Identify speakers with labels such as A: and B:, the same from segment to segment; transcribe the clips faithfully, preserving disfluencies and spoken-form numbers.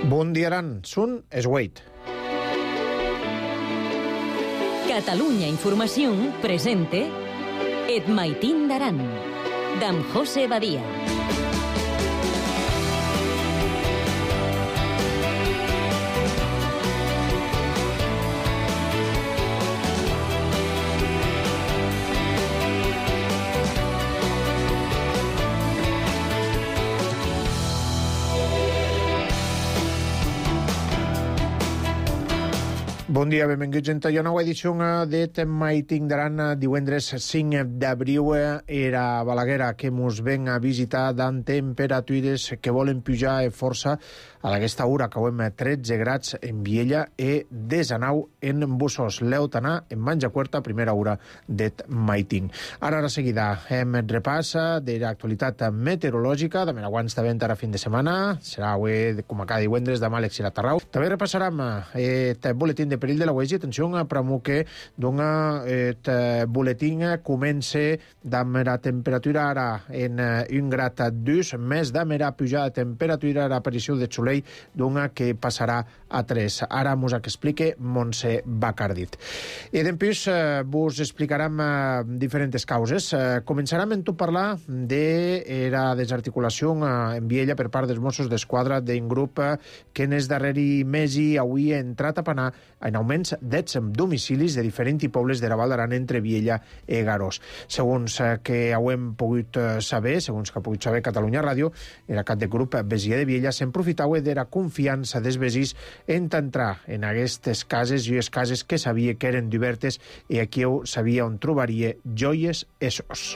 A: Bon dia, Aran. Sun es Wait.
B: Catalunya Informació presente Et Maitín d'Aran, d'en José Badia.
A: Bon dia, benvinguts a una nova edició d'Et Maitín d'Aran, divendres cinc d'abril. Era Balaguer que mos ven a visitar amb temperatures que volen pujar força. A aquesta hora acabem tretze grads en Viella i desanou en Bussos. L'Eutanà en Manjacuerta, primera hora d'Et Maitín. Ara, a la seguida, hem repassa de l'actualitat meteorològica, de Meraguans de vent ara fin de setmana. Serà avui, com a cada divendres, demà a l'Exil a Tarrau. També repassarem el boletín de perill de la Uesi. Atenció, pramo que dona et boletín comença amb la temperatura ara en un grad dos, més de la pujada de temperatura a l'aparició de Soleil dona que passarà a tres. Ara mos explique Montse Bacardit. I després eh, vos explicarem eh, diferents causes. Eh, començarem en tot parlar de la desarticulació eh, en Viella per part dels Mossos d'Esquadra d'un grup eh, que en els darreri mesi avui ha entrat a panar en augments d'ets domicilis de diferents pobles de la Val d'Aran entre Viella i Garós. Segons eh, que ho hem pogut eh, saber, segons que ha pogut saber Catalunya Ràdio, el cap de grup Besier de Viella s'aprofitava de la confiança dels veïns en entrar en aquestes cases i les cases que sabia que eren d'obertes i aquí sabia on trobaria joies essos.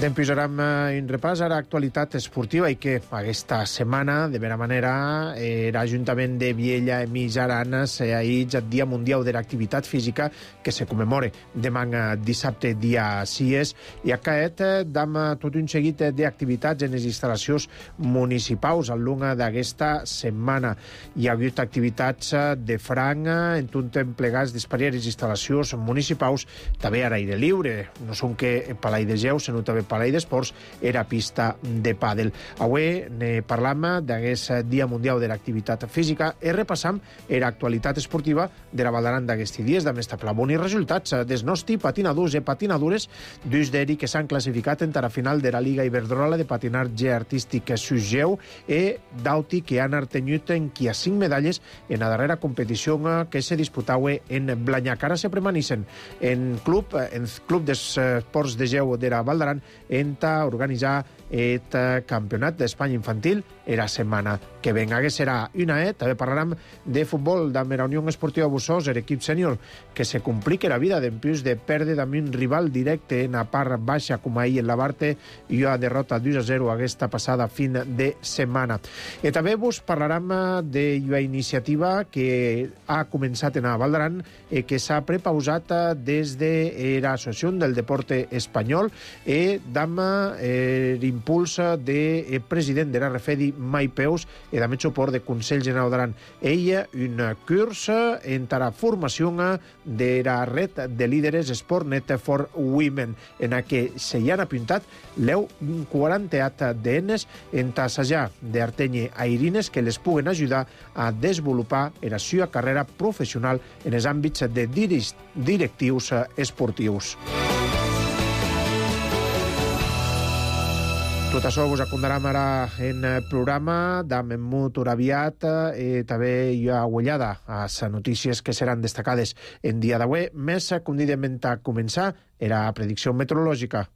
A: Dem posarem un repàs a l'actualitat esportiva i que aquesta setmana, de vera manera, l'Ajuntament de Viella i Mig Aran s'ha ahit el Dia Mundial de l'Activitat Física que se commemora demà dissabte dia sis i aquest dam tot un seguit d'activitats en les instal·lacions municipals al long d'aquesta setmana. Hi ha hagut activitats de franc en tot plegats d'espariades instal·lacions municipals, també a l'aire lliure. No són que Palai de Geu, sinó també Palai d'Esports era pista de pàdel. Avui ne parlam d'aquest Dia Mundial de l'Activitat Física i repassam l'actualitat esportiva de la Val d'Aran d'aquests dies, de més tabla bons resultats dels nostres patinadors i patinadores dus d'eri que s'han classificat en la final de la Liga Iberdrola de patinatge artístic Sugeu i d'Auti que han artenyut en qui a cinc medalles en la darrera competició que se disputava en Blanyac. Ara se permaneixen en club, en Club d'Esports de Geu de la Val d'Aran en organitzar el Campionat d'Espanya Infantil la setmana que ven. Aquest serà una E. També parlarem de futbol amb la Unió Esportiva Bussos, l'equip sènior, que se complica la vida d'empús de perdre amb un rival directe en la part baixa, com ahir en la Barte, i una derrota dos a zero aquesta passada fin de setmana. I també vos parlarem d'una iniciativa que ha començat en la Val d'Aran i que s'ha prepausat des de l'Associació del Deporte Espanyol i amb l'impuls del president de la Refedi, Mai Peus, i també el suport del Consell General d'Aran. Ella, un curs en la formació de la red de líderes Sportnet for Women, en què s'hi han apuntat l'eu quaranta d'enes en tassajar d'Artenye a Irines que les puguen ajudar a desenvolupar la seva carrera professional en els àmbits de directius esportius. Tot això vos acondarem ara en el programa d'en molt aviat i també hi ha ullada a les notícies que seran destacades en dia d'avui. Més convidem a començar la predicció meteorològica.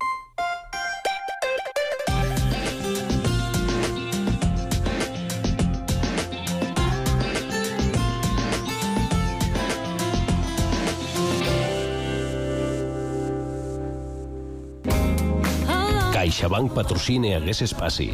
C: CaixaBank patrocina aquest espai.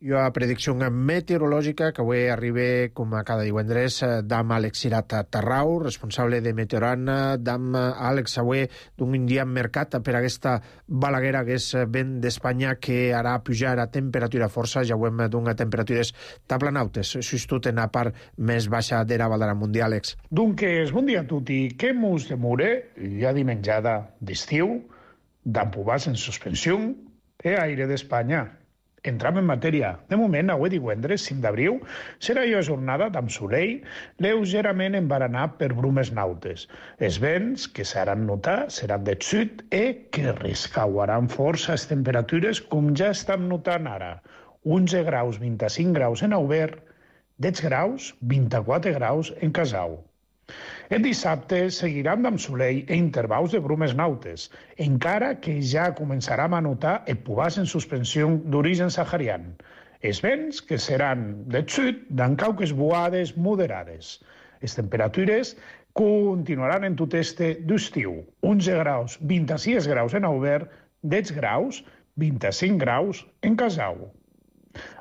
A: Hi ha predicció meteorològica que avui arriba, com a cada divendres, d'am Àlex Cirat Tarrau, responsable de Meteoran, d'am Àlex, avui d'un dia mercat per aquesta balaguera que és vent d'Espanya que harà pujar a temperatura força, ja ho hem d'una temperatures taplanautes, sustot en la part més baixa de la Val d'Aran Mundial, Àlex.
D: Dunques, bon dia a tutti. Què mus de mure, ja dimenjada d'estiu, d'empubars en suspensió, e aire d'Espanya. Entram en matèria. De moment, avui divendres, cinc d'abril, serà una jornada amb solell lleugerament embaranat per brumes nautes. Els vents que s'haran notar seran de sud e que rescauaran força les temperatures com ja estan notant ara. onze graus, vint-i-cinc graus en Aubert, deu graus, vint-i-quatre graus en Casau. El dissabte seguiran amb solell e intervals de brumes nautes, encara que ja començarem a notar el pubàs en suspensió d'origen saharian. Els vents que seran de sud d'en cauques boades moderades. Les temperatures continuaran en tot este d'estiu. onze graus, vint-i-sis graus en Aubert, deu graus, vint-i-cinc graus en Casau.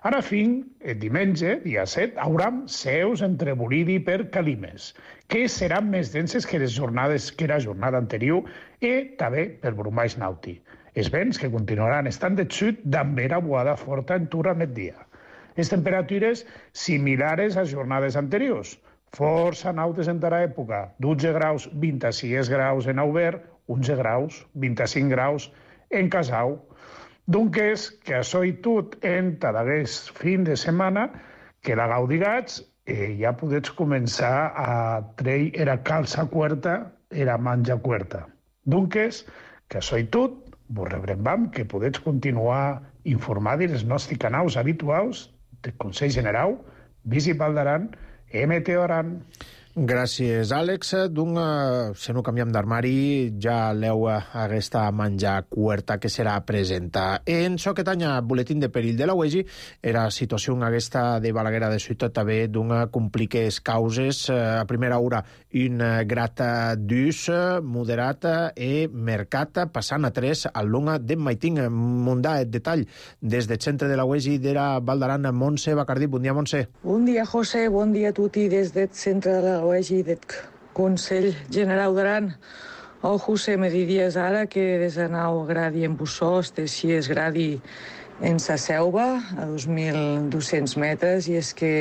D: Ara fin, el diumenge, dia set, hauram seus entre Bolidi per Calimes, que seran més denses que les jornades que era jornada anterior i també per Brumais Nauti. Els vents que continuaran estant de sud d'ambera boada forta en tur a migdia. Les temperatures similars a jornades anteriors. Força nautes en tara època, dotze graus, vint-i-sis graus en Aubert, onze graus, vint-i-cinc graus en Casau. Doncs que això i tot en tadagués fin de setmana que la gaudigats eh, ja podets començar a treure era calça cuerta, era manja cuerta. Doncs que això i tot, vos rebrem que podets continuar informar dels nostres canals habituals del Consell General, Visit Val d'Aran, M T O Aran.
A: Gràcies, Àlex. D'un, si no canviem d'armari, ja l'heu aquesta menjar cuerta que serà presenta. En so que tanya boletín de perill de la U E G I, era situació aquesta de Balaguer de Ciutat també d'una compliques causes. A primera hora, un grat d'ús moderat e mercat, passant a tres al longa de Maiting. Mundà, el detall des del centre de la U E G I d'era Val d'Aran. Montse Bacardí, bon dia, Montse.
E: Bon dia, José, bon dia a tutti des del centre de la U E G I del Consell General d'Aran. O José, me diries ara que des de nou gradi en Bussós, de sis gradi en sa Selva, a dos mil dos-cents metres, i és que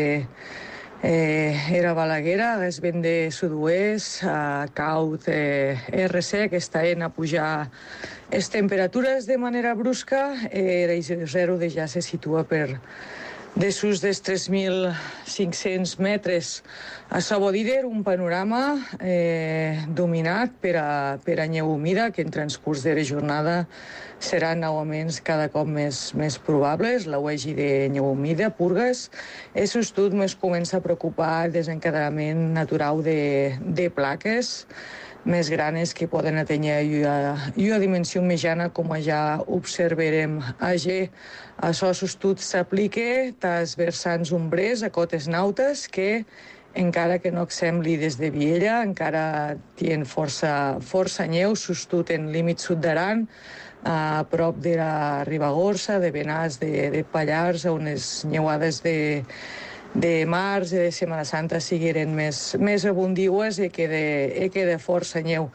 E: eh, era Balaguera, és vent de sud-oest, a caut eh, R C, que està en a pujar les temperatures de manera brusca, eh, el zero de ja se situa per desús dels tres mil cinc-cents metres. A Sabodider, un panorama eh, dominat per a, per a neu humida, que en transcurs de la jornada seran augments cada cop més, més probables. La U E G I de neu humida, purgues. El sostut més comença a preocupar el desencadenament natural de, de plaques més granes que poden atènyer una dimensió mitjana, com ja observarem a G. Això sostut s'aplica als vessants ombrers, a cotes nautes, que encara que no sembli des de Viella, encara tenen força, força neu, sostut en límit sud d'Aran, a prop de la Ribagorça, de Benàs, de, de Pallars, on les neuades de de març i de Setmana Santa sigueren més, més abundiues i que de, i que de força neu.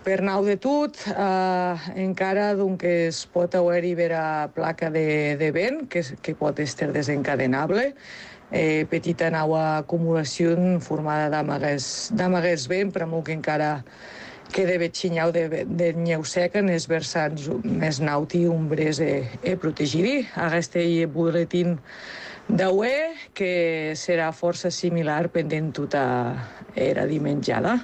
E: Per nau de tot, eh, encara doncs, es pot haver-hi vera placa de, de vent, que, que pot estar desencadenable, eh, petita nau acumulació formada d'amaguers vent, però molt que encara queda vetxinyau de, de neu seca en els vessants més nauti, ombres e, e protegidi. Aquest boletín de U E, que serà força similar pendent tota era dimenjada.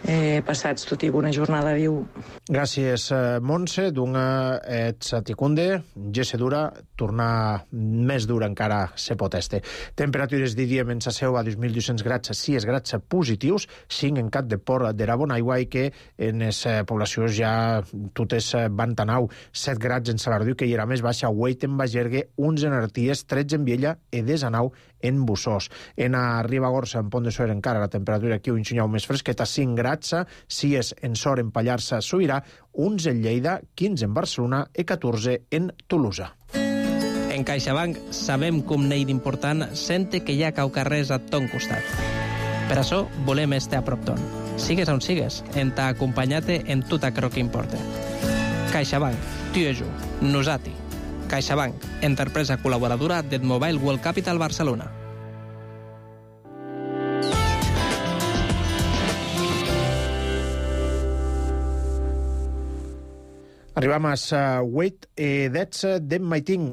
E: Eh, passats tot i bona jornada, diu.
A: Gràcies, Montse. D'una et saticunde, gesse dura, tornar més dura encara se pot este. Temperatures de dia en sa Seu a dos mil dos-cents grads, sis grads positius, cinc en Cat de Port de la Bonaigua, i que en les poblacions ja totes van tanau, set grads en Salardú, que hi era més baixa, vuit en Bagergue, onze en Arties, tretze en Viella i desanau en Bussós. En a Ribagorça, en Pont de Suert, encara la temperatura aquí un xunyau més fresqueta, cinc grads, sis en Sor, en Pallarsa, Sobirà, onze en Lleida, quinze en Barcelona i catorze en Tolosa.
F: En CaixaBank sabem com n'hi d'important sente que hi ha caucarrers a ton costat. Per això volem estar a prop ton. Sigues on sigues, en t'ha acompanyat en tot aquello que importa. CaixaBank, tu i jo, nosati. CaixaBank, empresa col·laboradora del Mobile World Capital Barcelona.
A: Arribam a vuit edats d'en Maiting.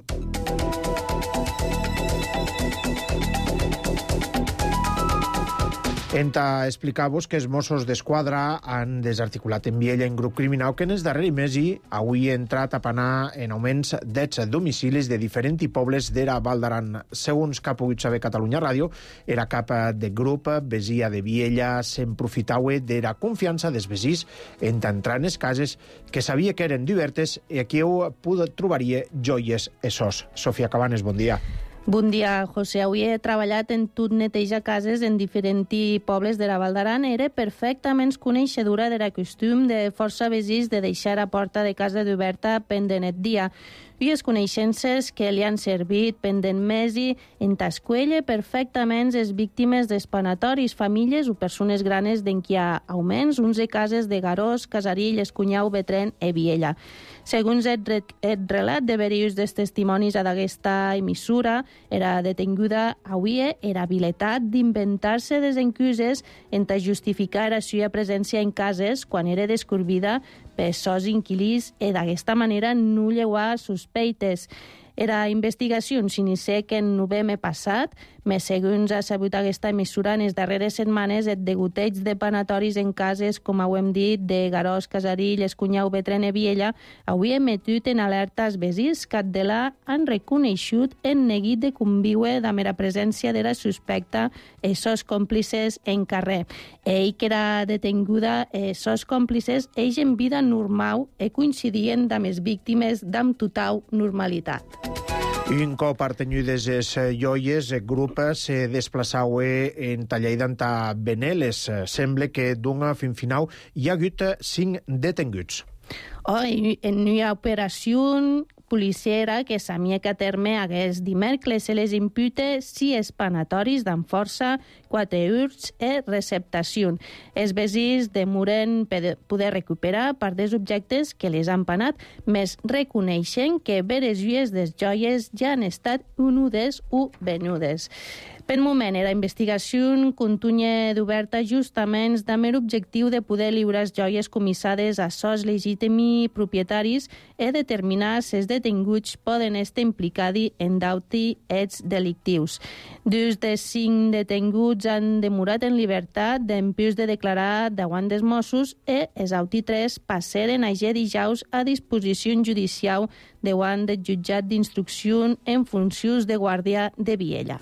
A: Enta explicar-vos que els Mossos d'Esquadra han desarticulat en Viella en grup criminal que en els darrers mesos avui ha entrat a panar en augments d'ets domicilis de diferents pobles d'era Val d'Aran. Segons que ha pogut saber Catalunya Ràdio, era cap de grup vesia de Viella se'n profitaue d'era confiança dels vesins en entrar en les cases que sabia que eren divertes i aquí ho trobaria joies essos. Sofia Cabanes, bon dia.
G: Bon dia, José. Avui he treballat en tot neteja cases en diferents pobles de la Val d'Aran. Era perfectament coneixedora de la costum de força vesins de deixar a porta de casa d'oberta pendent el dia. I les coneixences que li han servit pendent mesi en tascuelle perfectament les víctimes d'espanatoris, famílies o persones granes d'en qui ha augments, uns de cases de Garós, Casarill, Escunyau, Betren i Viella. Segons el, re el relat de varios dels testimonis d'aquesta emissora, era detenguda avui era habilitat d'inventar-se desencuses en justificar la seva presència en cases quan era descobrida per sos inquilís i d'aquesta manera no llevar sospeites. Era investigació s'inicia que en novembre passat, més segons ha sabut aquesta emissora, en les darreres setmanes el degoteig de panatoris en cases, com ho hem dit, de Garós, Casarill, Escunyau, Betren i Viella, avui emetut en alerta als vesins que de la han reconeixut en neguit de conviure amb la presència de la suspecta i sos còmplices en carrer. Ell que era detenguda, i sos còmplices, ells en vida normal i coincidien amb les víctimes d'amb total normalitat.
A: Un cop artenyides les joies, el grup se desplaçava en Talleida a Beneles. Sembla que d'un fin final hi ha hagut cinc detenguts.
G: Oh, en una operació policiera que s'amica a terme aquest dimecres se les impute sis espanatoris d'en força, quatre urts i receptació. Els vesins demoren poder recuperar part dels objectes que les han panat, més reconeixen que veres lluies des joies ja han estat unudes o venudes. Per moment, la investigació continua d'oberta justament amb l'objectiu de poder lliurar les joies comissades a sos legítims propietaris i determinar si els detinguts poden estar implicats en d'autres fets delictius. Dos dels cinc detinguts han demorat en llibertat dempués de declarar davant dels Mossos i els altres tres passaren ayer dijous a disposició judicial davant del jutjat d'instrucció en funcions de guàrdia de Viella.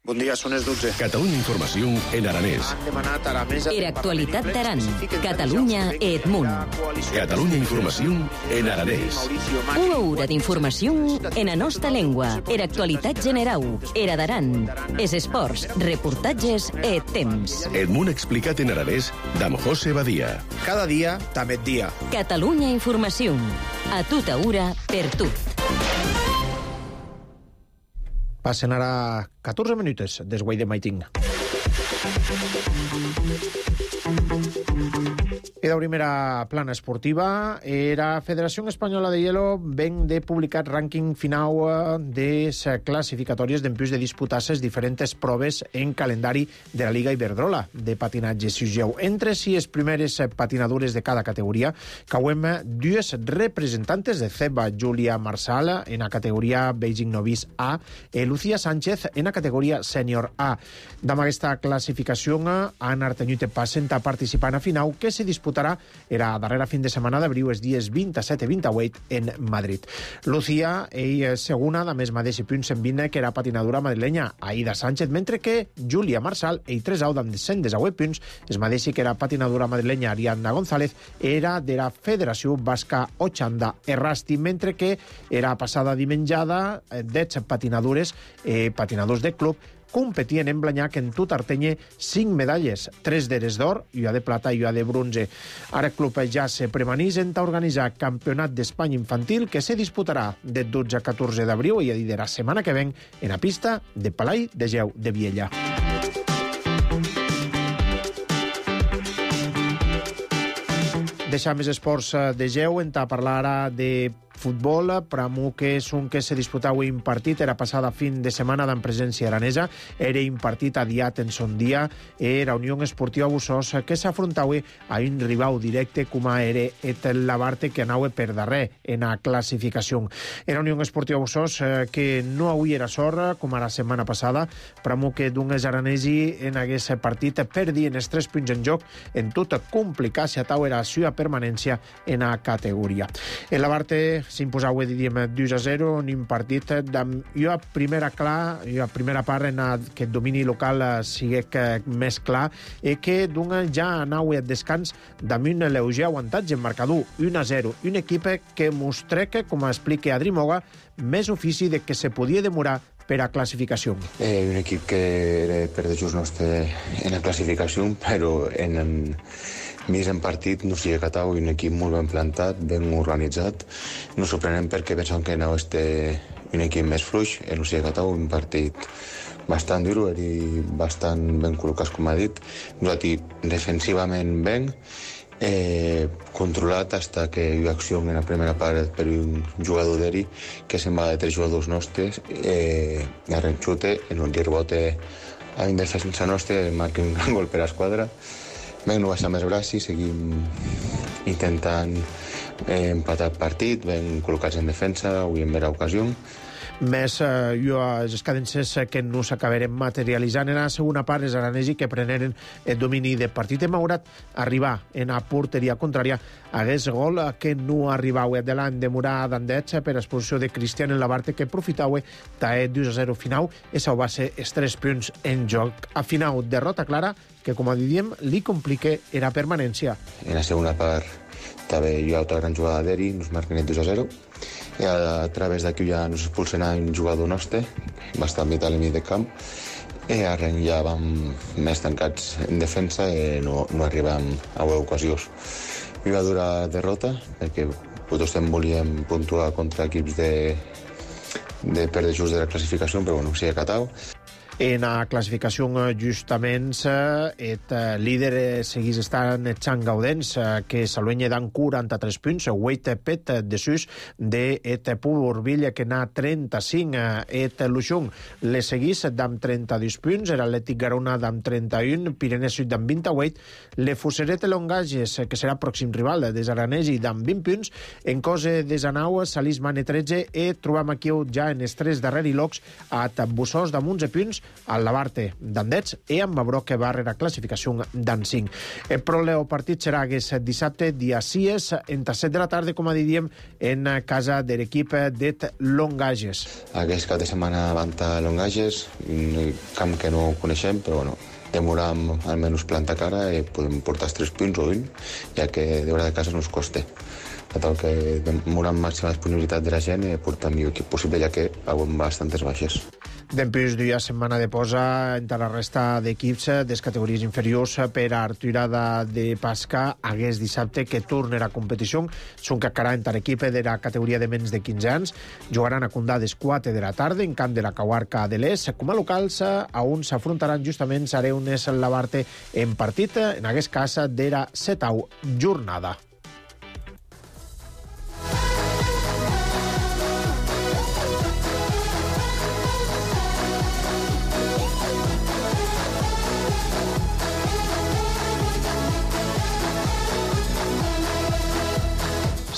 A: Bon dia, són les dotze.
C: Catalunya Informació en aranès.
B: Era actualitat d'Aran, Catalunya i Edmunt.
C: Catalunya Informació en aranès.
B: Una hora d'informació en la nostra llengua. Era actualitat general. Era d'Aran. Es esports, reportatges i temps.
C: Edmunt explicat en aranès d'en José Badia.
A: Cada dia, també et dia.
B: Catalunya Informació. A tota hora, per tu.
A: Passen ara catorze minuts des guai de Maiting. I de primera plana esportiva, la Federació Espanyola de Hielo ven de publicat rànquing final de classificatòries d'empús de disputar-se diferents proves en calendari de la Liga Iberdrola de patinatge siugeu. Entre si les primeres patinadures de cada categoria, cauem dues representantes de C E B A, Júlia Marsal en la categoria Beijing Novice A i Lucía Sánchez en la categoria Sènior A. Amb aquesta classificació han artenyut passant a participar a final que se disputarà era darrera fin de setmana d'abril els dies vint-i-set i vint-i-vuit en Madrid. Lucía, ell segona, de més mateix punts en vint, que era patinadora madrilenya Aida Sánchez, mentre que Júlia Marsal, ell tres au amb cent divuit punts, es mateix que era patinadora madrilenya Ariadna González, era de la Federació Basca Ochanda Errasti, mentre que era passada dimenjada dez patinadores, eh, patinadors de club, competien en Blanyac en tot Artenye cinc medalles, tres d'eres d'or, i una de plata i una de bronze. Ara el club ja se premanís en organitzar Campionat d'Espanya Infantil que se disputarà de dotze a catorze d'abril i de la setmana que ven en la pista de Palai de Geu de Viella. Deixar més esports de Geu, en parlar ara de futbol. Pramu que és un que se disputava un partit, era passada fin de setmana d'en presència aranesa, era un partit adiat en son dia, era Unió Esportiva Bussos, que s'afrontava a un rival directe com era et Labarte, que anava per darrer en la classificació. Era Unió Esportiva Bussos eh, que no avui era sorra, com a la setmana passada. Pramu que d'un aranesi en aquest partit perdien els tres punts en joc, en tota complicació tau era la seva permanència en la categoria. El Labarte s'imposava, diríem, dos a zero en un partit amb jo a primera clar, jo a primera part en aquest domini local sigui més clar, i que d'un ja anava a descans amb un lleuger avantatge en marcador un a zero. Un equip que mostrec, com explica Adri Moga, més ofici de que se podia demorar per a classificació.
H: Eh, un equip que era per de just nostre en la classificació, però en, en mig en partit no s'hi ha acatat, un equip molt ben plantat, ben organitzat. No sorprenem perquè pensàvem que anava a ser un equip més fluix, i no s'hi ha acatat, un partit bastant dur, i bastant ben col·locats, com ha dit. Nosaltres defensivament ben, Eh, controlat hasta que hi ha acció en la primera part per un jugador d'Eri que se'n va de tres jugadors nostres, eh, arrenxute en un rebote a un defensa nostre, marca un gran gol per a l'esquadra. Vam no baixar més braços, seguim intentant eh, empatar el partit, ben col·locats en defensa, avui en vera ocasió.
A: Més eh, jo les cadences que no s'acabarem materialitzant en la segona part, els aranesi que preneren el domini del partit. Hem haurat arribar en la porteria contrària hagués gol que no arribava de l'any de Murà d'Andets per exposició de Cristian en Labarte, que aprofitava tae dos a zero final i s'ho va ser els tres punts en joc. A final, derrota clara que, com a diem, li complica la permanència.
H: En la segona part també hi ha altra gran jugada d'Eri, nos marquen el dos a zero. I a través d'aquí ja ens expulsen a un jugador nostre, bastant vital en mig de camp, i arren ja vam més tancats en defensa i no, no arribem a ocasions. I va durar derrota, perquè tots volíem puntuar contra equips de, de perdre just de la classificació, però bueno, s'hi ha acatat.
A: En la classificació, justament, el líder seguís estant Chan Gaudens, que s'aluenya d'en quaranta-tres punts, vuit pet de sus de et Purville, que n'ha trenta-cinc. Et Luxung le seguís d'amb trenta-dos punts, era l'Atlètic Garona d'amb trenta-un, Pirenès Sud d'amb vint-i-vuit, le Fuseret Longages, que serà pròxim rival des Aranesi, d'amb vint punts, en cosa des Anau, Salís Mane tretze, i trobam aquí ja en els tres darrers locs a Bussos d'amb onze punts, al Labarte d'Andets i amb Mabró, que va a classificació d'an cinc. El pròleo partit serà aquest dissabte, dia sis, entre set de la tarda, com a diríem, en casa de l'equip de Longages.
H: Aquest cap de setmana van a Longages, un camp que no coneixem, però bueno, demoram almenys planta cara i podem portar els tres punts o un, ja que de hora de casa no ens costa. Tal que demoram màxima disponibilitat de la gent i portar el millor equip possible, ja que haurem bastantes baixes.
A: Dempués d'una setmana de posa entre la resta d'equips de categories inferiors per a retirada de Pasca hagués dissabte que tornarà a competició. Són que encara entre l'equip de la categoria de menys de quinze anys. Jugaran a Condà des quatre de la tarda en camp de la Caguarca de l'Est. Com a locals, a on s'afrontaran justament Sareunes Labarte en partit, en aquest cas de la setau jornada.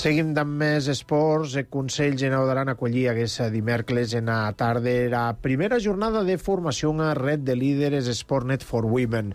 A: Seguim amb més esports. El Consell Generau d'Aran acollia aquest dimecres en la tarda la primera jornada de formació a Red de Líderes Sportnet for Women.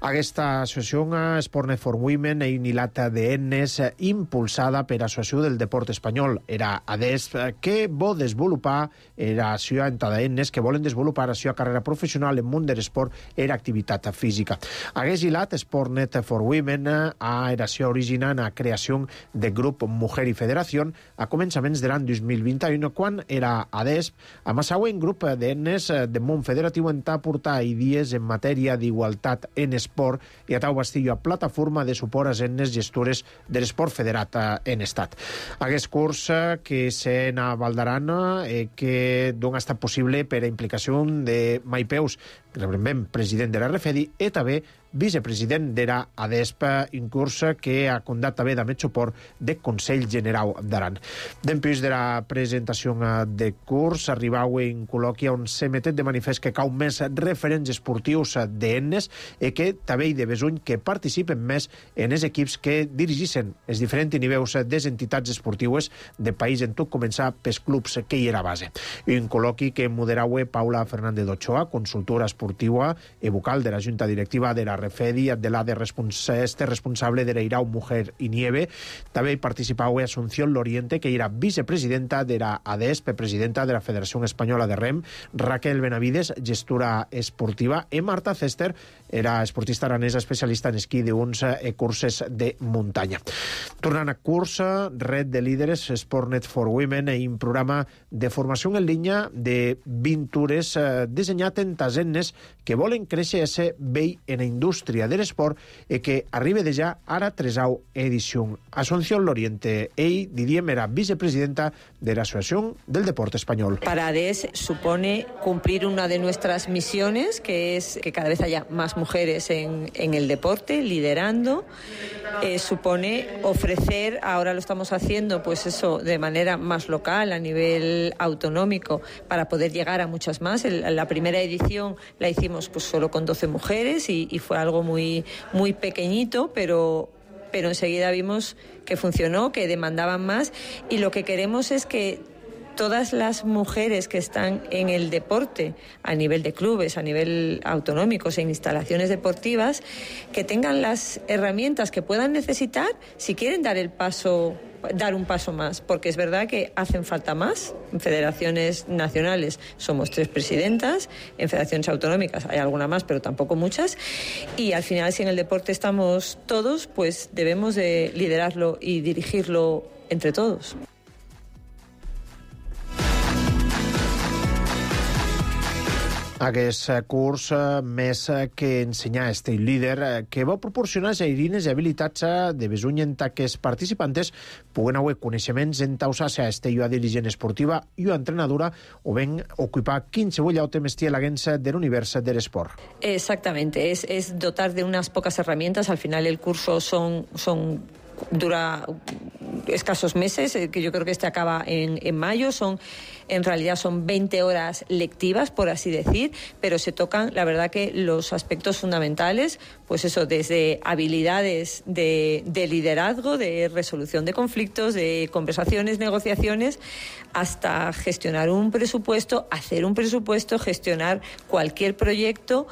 A: Aquesta associació, Sportnet for Women, és una hilata d'eines impulsada per l'Associació del Deport Espanyol. Era A D E S P que vol desenvolupar la seva entrada d'eines que volen desenvolupar la seva carrera professional en món de l'esport i l'activitat física. Aquest hilat, Sportnet for Women, ha era sido originada en la creació del grup Mujer i Federació a començaments de l'any dos mil vint-i-u, quan era A D E S P, amb el següent grup d'eines del món federatiu en portar idees en matèria d'igualtat en esport i a tau bastir a plataforma de suport a eines gestores de l'esport federat en estat. Aquest curs que s'en a Valdaran eh, que dona estat possible per a implicació de Maipeus, rebem president de la Refedi, i també vicepresident de la ADESP, un curs que ha condat també amb el suport del Consell Generau d'Aran. Després de la presentació de curs, arribau en col·loqui on se metet de manifest que cau més referents esportius d'Ennes i que també hi de besuny que participen més en els equips que dirigissin els diferents nivells des entitats esportives de país en tot començar pels clubs que hi era base. Un col·loqui que moderau Paula Fernández d'Ochoa, consultora esportiva i vocal de la Junta Directiva de la Refedi, de la de respons este responsable de l'Eirau Mujer i Nieve. També hi participau Asunción Loriente, que era vicepresidenta de la ADESP, presidenta de la Federació Espanyola de Rem, Raquel Benavides, gestora esportiva, i Marta Cester, era esportista aranesa especialista en esquí d'uns e curses de muntanya. Tornant a cursa, Red de Líderes, Sportnet for Women, i un programa de formació en línia de vint hores eh, dissenyat en tasennes que volen créixer a ser vell en la indústria de l'esport i que arriba de ja ara tresau edició. Asunción Loriente, ell, diríem, era vicepresidenta de la Asociación del Deporte Español.
I: Para ADES supone cumplir una de nuestras misiones, que es que cada vez haya más mujeres en, en el deporte, liderando. Eh, supone ofrecer, ahora lo estamos haciendo, pues eso, de manera más local, a nivel autonómico, para poder llegar a muchas más. El, la primera edición la hicimos pues solo con doce mujeres y, y fue algo muy, muy pequeñito, pero, pero enseguida vimos que funcionó, que demandaban más, y lo que queremos es que todas las mujeres que están en el deporte, a nivel de clubes, a nivel autonómicos, en instalaciones deportivas, que tengan las herramientas que puedan necesitar si quieren dar el paso, dar un paso más, porque es verdad que hacen falta más. En federaciones nacionales somos tres presidentas, en federaciones autonómicas hay alguna más, pero tampoco muchas, y al final, si en el deporte estamos todos, pues debemos de liderarlo y dirigirlo entre todos.
A: Aquest curs, més que ensenyar estil líder, que va proporcionar eines i habilitats de besuny en que els participants puguen haver coneixements en tausar-se a estello dirigent esportiva i a entrenadora o ben ocupar qualsevol altre mestier a l'agència de l'univers de l'esport.
I: Exactamente, es, es dotar de unas pocas herramientas. Al final el curso son... son dura escasos meses, que yo creo que este acaba en, en mayo. Son, en realidad son veinte horas lectivas, por así decir, pero se tocan, la verdad, que los aspectos fundamentales, pues eso, desde habilidades de, de liderazgo, de resolución de conflictos, de conversaciones, negociaciones, hasta gestionar un presupuesto, hacer un presupuesto, gestionar cualquier proyecto.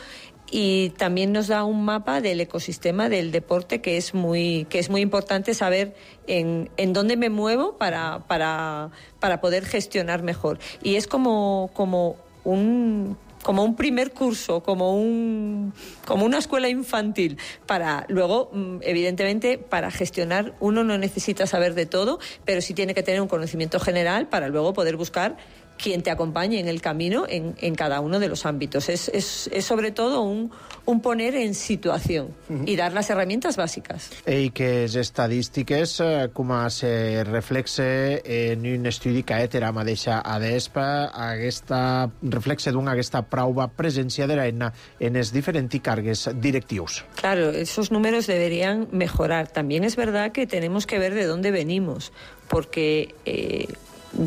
I: Y también nos da un mapa del ecosistema del deporte, que es muy, que es muy importante saber en, en dónde me muevo para, para, para poder gestionar mejor. Y es como, como un... como un primer curso, como un como una escuela infantil, para luego, evidentemente, para gestionar uno no necesita saber de todo, pero sí tiene que tener un conocimiento general para luego poder buscar quien te acompañe en el camino en, en cada uno de los ámbitos. Es, es, es sobre todo un, un poner en situación uh-huh. y dar las herramientas bàsiques.
A: I que les estadístiques, com se reflexe en un estudi que ha fet la mateixa ADESP, aquesta reflexe d'una aquesta prova presència de l'ENA en els diferents càrrecs directius.
I: Claro, esos números deberían mejorar. También es verdad que tenemos que ver de dónde venimos, porque eh,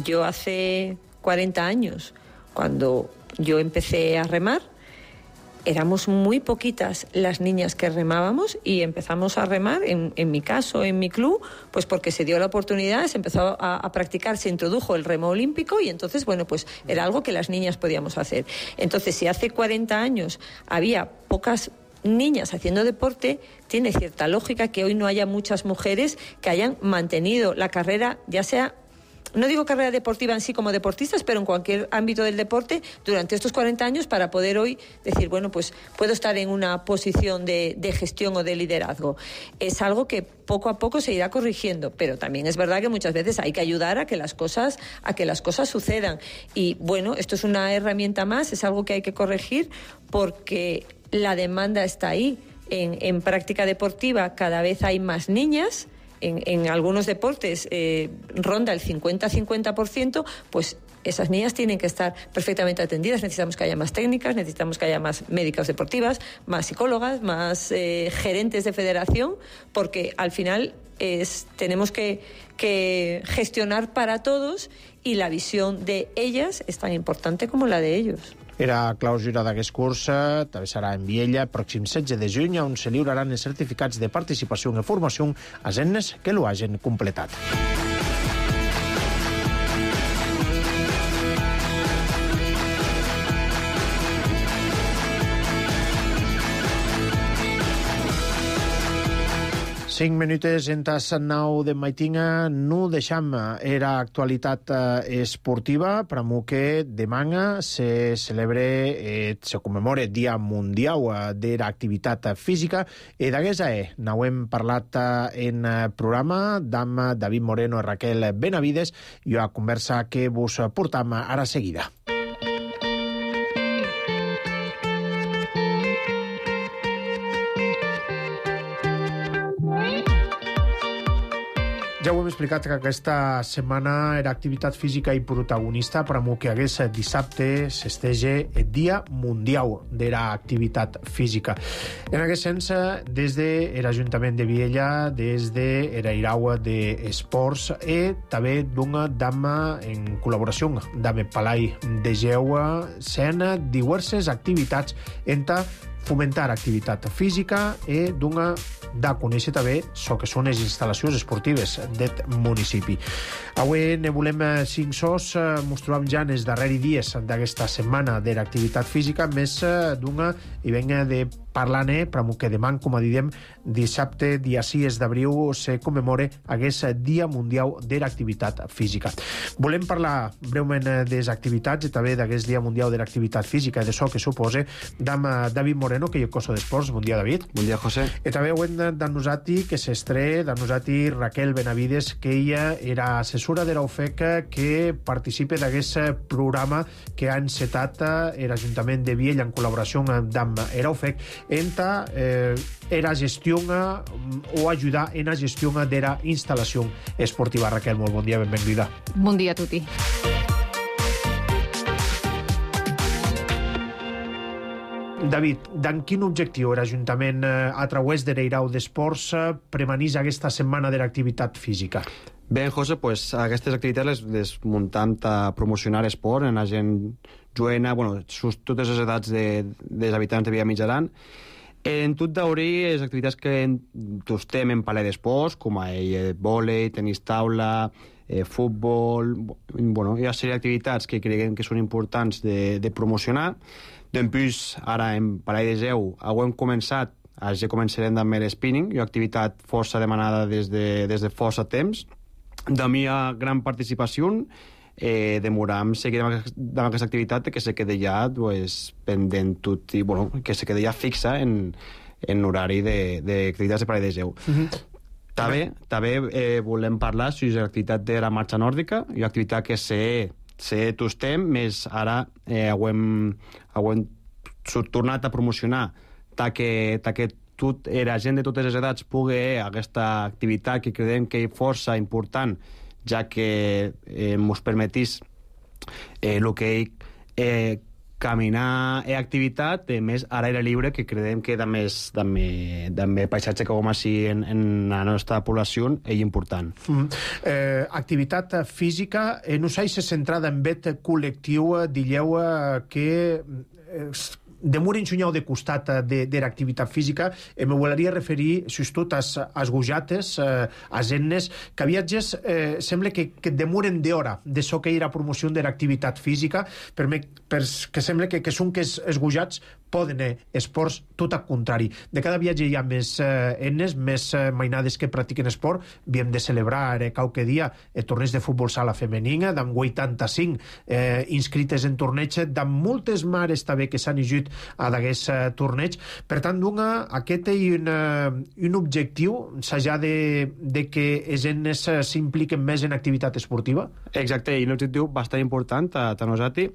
I: yo hace cuarenta años, cuando yo empecé a remar, éramos muy poquitas las niñas que remábamos y empezamos a remar, en, en mi caso, en mi club, pues porque se dio la oportunidad, se empezó a, a practicar, se introdujo el remo olímpico y entonces, bueno, pues era algo que las niñas podíamos hacer. Entonces, si hace cuarenta años había pocas niñas haciendo deporte, tiene cierta lógica que hoy no haya muchas mujeres que hayan mantenido la carrera, ya sea... no digo carrera deportiva en sí como deportistas, pero en cualquier ámbito del deporte durante estos cuarenta años, para poder hoy decir, bueno, pues puedo estar en una posición de, de gestión o de liderazgo. Es algo que poco a poco se irá corrigiendo, pero también es verdad que muchas veces hay que ayudar a que las cosas, a que las cosas sucedan. Y bueno, esto es una herramienta más, es algo que hay que corregir porque la demanda está ahí. En, en práctica deportiva cada vez hay más niñas. En, en algunos deportes eh, ronda el cincuenta a cincuenta por ciento, pues esas niñas tienen que estar perfectamente atendidas. Necesitamos que haya más técnicas, necesitamos que haya más médicas deportivas, más psicólogas, más eh, gerentes de federación, porque al final es, tenemos que, que gestionar para todos, y la visión de ellas es tan importante como la de ellos.
A: Era clausura d'aquest curs, també serà en Viella, pròxim setze de juny, on se lliuraran els certificats de participació i formació a nenes que lo hagin completat. Cinc minutes en tas nou de maitinga, no deixam, era actualitat eh, esportiva, per a que demà se celebre, eh, se commemora Dia Mundial eh, de l'Activitat Física, i d'aguesta eh, n'hem parlat eh, en programa amb David Moreno i Raquel Benavides, i a conversa que vos portam ara seguida. Ja ho hem explicat que aquesta setmana era activitat física i protagonista, per a que hagués dissabte s'estege el Dia Mundial de l'Activitat Física. En aquest sens, des de l'Ajuntament de Viella, des de l'Airau d'Esports i també d'una dama en col·laboració amb el Palai de Geu, sent diverses activitats entre fomentar activitat física i d'una de conèixer també el que són les instal·lacions esportives del municipi. Avui ne volem cinc sos, mos trobam ja en els darrers dies d'aquesta setmana de l'activitat física, més d'una i venga de parlar-ne, per que demà, com a diem, dissabte, dia sis d'abril, se commemora aquest Dia Mundial de l'Activitat Física. Volem parlar breument de les activitats i també d'aquest Dia Mundial de l'Activitat Física i d'això que suposa amb David Moreno, que és el coso d'esports. Bon dia, David.
J: Bon dia, José.
A: I també ho hem de nosati, que s'estre, de nosati Raquel Benavides, que ella era assessora de l'U F E C, que participa d'aquest programa que ha encetat l'Ajuntament de Viella en col·laboració amb l'U F E C, entra eh, era gestió o ajudar en la gestió de la instal·lació esportiva. Raquel, molt bon dia, benvinguda.
K: Bon dia a tutti.
A: David, d'en quin objectiu l'Ajuntament, a través de l'Airau d'Esports, premanís aquesta setmana de l'activitat física?
J: Bé, José, pues, aquestes activitats les, les muntam a promocionar esport en la gent joena, bueno, sus, totes les edats de, dels habitants de Via Mitjaran. En tot d'obrir les activitats que tostem en Palai d'Esports, com a eh, vòlei, tenis taula, eh, futbol... Bueno, hi ha una sèrie d'activitats que creiem que són importants de, de promocionar. Després, ara en Palai de Geu, hem començat, ja començarem amb l'spinning, una activitat força demanada des de, des de força temps. De mi hi ha gran participació, eh, demoram seguir amb, amb aquesta activitat que se queda ja pues, pendent tot i bueno, que se queda ja fixa en, en horari d'activitats de, de Palai de Geu. Uh-huh. També, també eh, volem parlar sobre l'activitat de la marxa nòrdica, una activitat que se, se tostem, més ara eh, hem, hem tornat a promocionar ta que, ta que tot, la gent de totes les edats pugui aquesta activitat que creiem que és força important, ja que eh, ens permetís eh, el que és eh, caminar i activitat, eh, més a l'aire lliure, que creiem que de més, de més, de més paisatge que com així en, en la nostra població és important.
A: Mm. Eh, activitat física, eh, no s'ha centrada en bet col·lectiu, dilleu eh, que... Eh, de mur enxunyau de costat de, de l'activitat física, eh, me volia referir, sobretot, als, als gojates, eh, als ennes, que viatges eh, sembla que, que demoren d'hora de so que hi ha promoció de l'activitat física, per, me, per que sembla que, que són que els, els gojats poden eh, esports tot al contrari. De cada viatge hi ha més eh, ennes, més eh, mainades que practiquen esport. Havíem de celebrar eh, qualque dia el torneig de futbol sala femenina, d'en vuitanta-cinc eh, inscrites en torneig, d'en moltes mares també que s'han ajut a d'aquest uh, torneig. Per tant, una, aquest és un, uh, un objectiu, s'ha de, de que els nens uh, s'impliquen més en activitat esportiva?
J: Exacte, i un objectiu bastant important a, a nosaltres.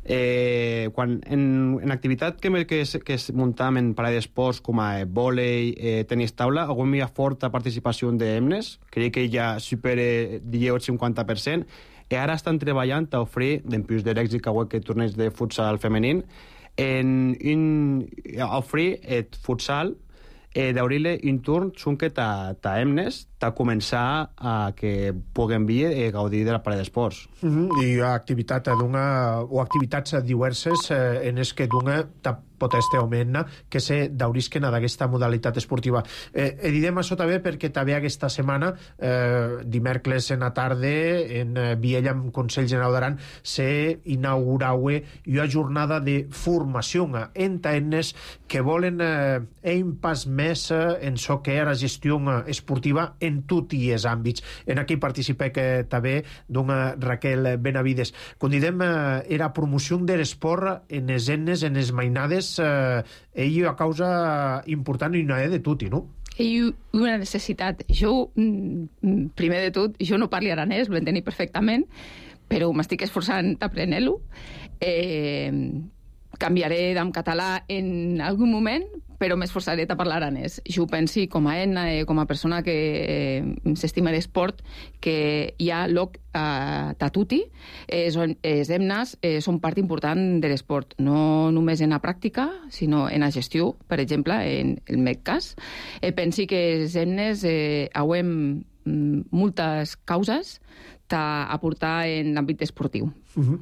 J: Eh, quan en, en activitat que, que, que es muntam en Palai d'Esports com a vòlei, eh, tenis taula, hi ha forta participació d'emnes, crec que ja supera el cinquanta per cent, i ara estan treballant a ofrir, d'empús de l'èxit que aquest torneig de futsal femení, en un, a ofrir el futsal eh, d'obrir-li un turn xunque ta, ta emnes, ta començar a que puguem vir eh, gaudir de la parella d'esports.
A: Mm-hmm. I activitat d'una, o activitats diverses eh, en es que d'una poteste augment que se daurisquen d'aquesta modalitat esportiva. Eh, e didem això també perquè també aquesta setmana, eh, dimecres en la tarde, en eh, Viella, amb Consell General d'Aran, se inauguraue una jornada de formació en taenes que volen eh, un pas més eh, en so que era gestió esportiva en tots els àmbits. En aquí participa que també d'una Raquel Benavides. Com didem, eh, era promoció de l'esport en les enes, en les mainades, eh, ell a causa important i una de tutti, no?
K: Ell una necessitat. Jo, primer de tot, jo no parlo aranès, ho entenc perfectament, però m'estic esforçant d'aprendre-lo. Eh, canviaré d'en català en algun moment, però m'esforçaré a parlar aranès. Jo penso, com a Enna, eh, com a persona que eh, s'estima l'esport, que hi ha lloc a tatuti, eh, els emnes eh, són part important de l'esport, no només en la pràctica, sinó en la gestió, per exemple, en el meu cas. Eh, penso que els emnes eh, hauem moltes causes a aportar en l'àmbit esportiu.
A: Uh-huh.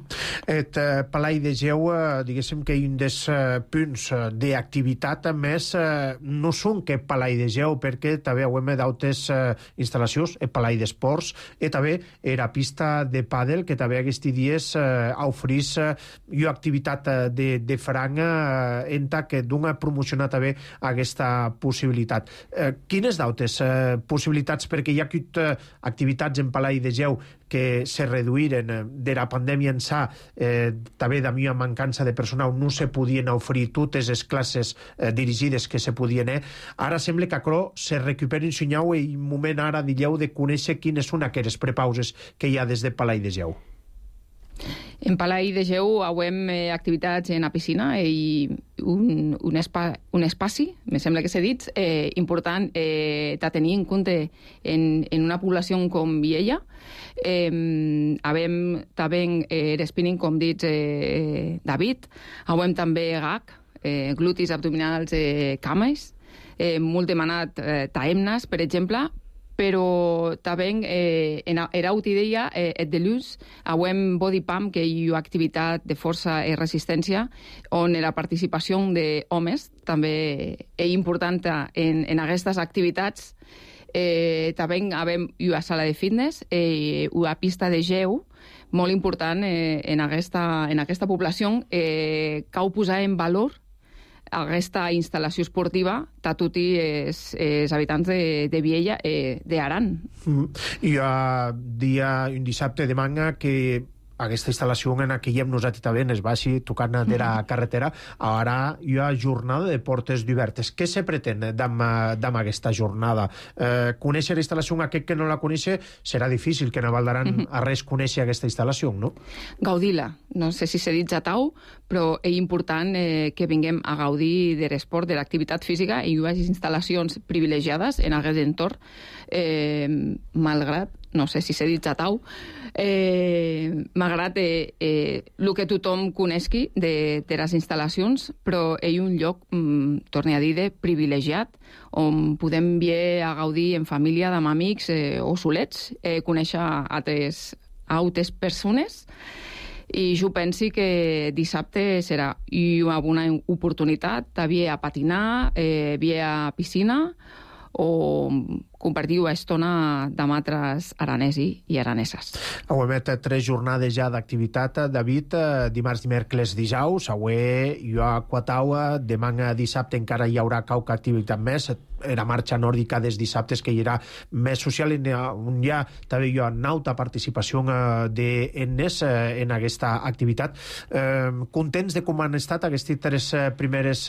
A: Et uh, Palai de Geu, uh, diguéssim que un dels uh, punts uh, d'activitat més uh, no són que Palai de Geu, perquè també hauem d'altres uh, instal·lacions, el Palai d'Esports, i també era pista de pàdel, que també aquests dies uh, oferís uh, una activitat uh, de, de franga uh, en ta que dona a promocionar també aquesta possibilitat. Uh, quines d'altres uh, possibilitats? Perquè hi ha hagut uh, activitats en Palai de Geu que se reduïren de la pandèmia ençà, eh, també d'ami una mancança de personal, no se podien oferir totes les classes eh, dirigides que se podien. Eh. Ara sembla que acro se recupera un senyau i un moment ara dilleu de conèixer quines són aquelles prepauses que hi ha des de Palai de Geu.
K: En Palai de Geu hauem eh, activitats en la piscina i un, un, espa, un espaci, me sembla que s'ha dit, eh, important eh, de tenir en compte en, en una població com Viella. Eh, havem també eh, l'spinning, com dits eh, David, hauem també G A C, eh, glutis abdominals, eh, cames, eh, molt demanat eh, taemnes, per exemple, però també eh, en era utidea eh, et de l'ús hauem body pump, que hi ha activitat de força i resistència, on la participació d'homes també és important en, en aquestes activitats. Eh, també havem una sala de fitness i eh, una pista de geu molt important eh, en, aquesta, en aquesta població. Eh, cal posar en valor aquesta instal·lació esportiva de tots els, els habitants de, de Viella, eh, d'Aran.
A: Mm. Hi ha dia, un dissabte de manga que aquesta instal·lació en què hi hem nosaltres també es baixi tocant de la carretera, ara hi ha jornada de portes obertes. Què se pretén amb aquesta jornada? Eh, conèixer la instal·lació, aquest que no la coneix, serà difícil que en Val d'Aran uh-huh. a res conèixer aquesta instal·lació, no?
K: Gaudir-la. No sé si s'ha dit ja tau, però és important eh, que vinguem a gaudir de l'esport, de l'activitat física, i hi ha instal·lacions privilegiades en aquest entorn, eh, malgrat no sé si s'ha dit ja tau, eh, malgrat eh, eh, el que tothom coneixi de, de les instal·lacions, però és un lloc, mm, torne a dir, de privilegiat, on podem vir a gaudir en família, amb amics eh, o solets, eh, conèixer altres, altres persones, i jo penso que dissabte serà una bona oportunitat de vir a patinar, eh, vir a piscina, o compartir una estona amb altres aranesi i araneses.
A: Avui hem tres jornades ja d'activitat, David, dimarts, dimecres, dijous, avui hi ha quataua, demà dissabte encara hi haurà qualque activitat més, era marxa nòrdica des dissabtes que hi era més social, on hi ha també hi ha nauta participació d'ennes en aquesta activitat. Contents de com han estat aquestes tres primeres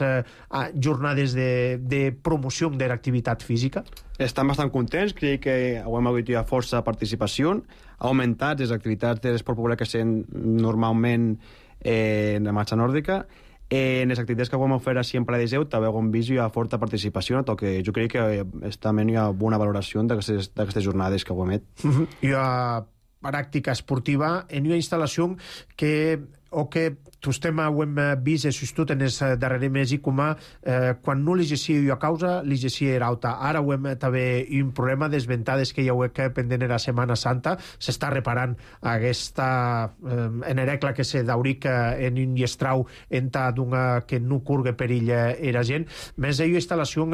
A: jornades de, de promoció de l'activitat física?
J: Estan bastant contents, crec que hem hagut força participació, ha augmentat les activitats de l'esport popular que sent normalment eh, en la marxa nòrdica. Eh, en les activitats que vam fer així en Palai de Geu també hem vist hi ha forta participació, que jo crec que també hi ha bona valoració d'aquestes jornades que hem fet.
A: Uh-huh. Hi ha pràctica esportiva en una instal·lació que o que tostem ho hem vist e sustot en els darrers mesos com a eh, quan no l'exercia jo a causa, l'exercia era alta. Ara ho hem també un problema des ventades que hi ha que pendent era Setmana Santa, s'està reparant aquesta eh, enerecla que se dauric en un llestrau enta d'una que no curgue perill era gent. Més hi ha instal·lació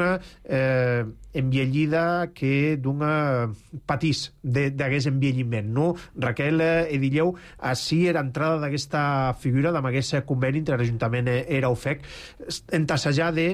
A: eh, enviellida que d'una patís d'aquest envelliment, no? Raquel Edilleu, així era entrada d'aquesta figura amb aquest conveni entre l'Ajuntament i la U F E C en tassejar de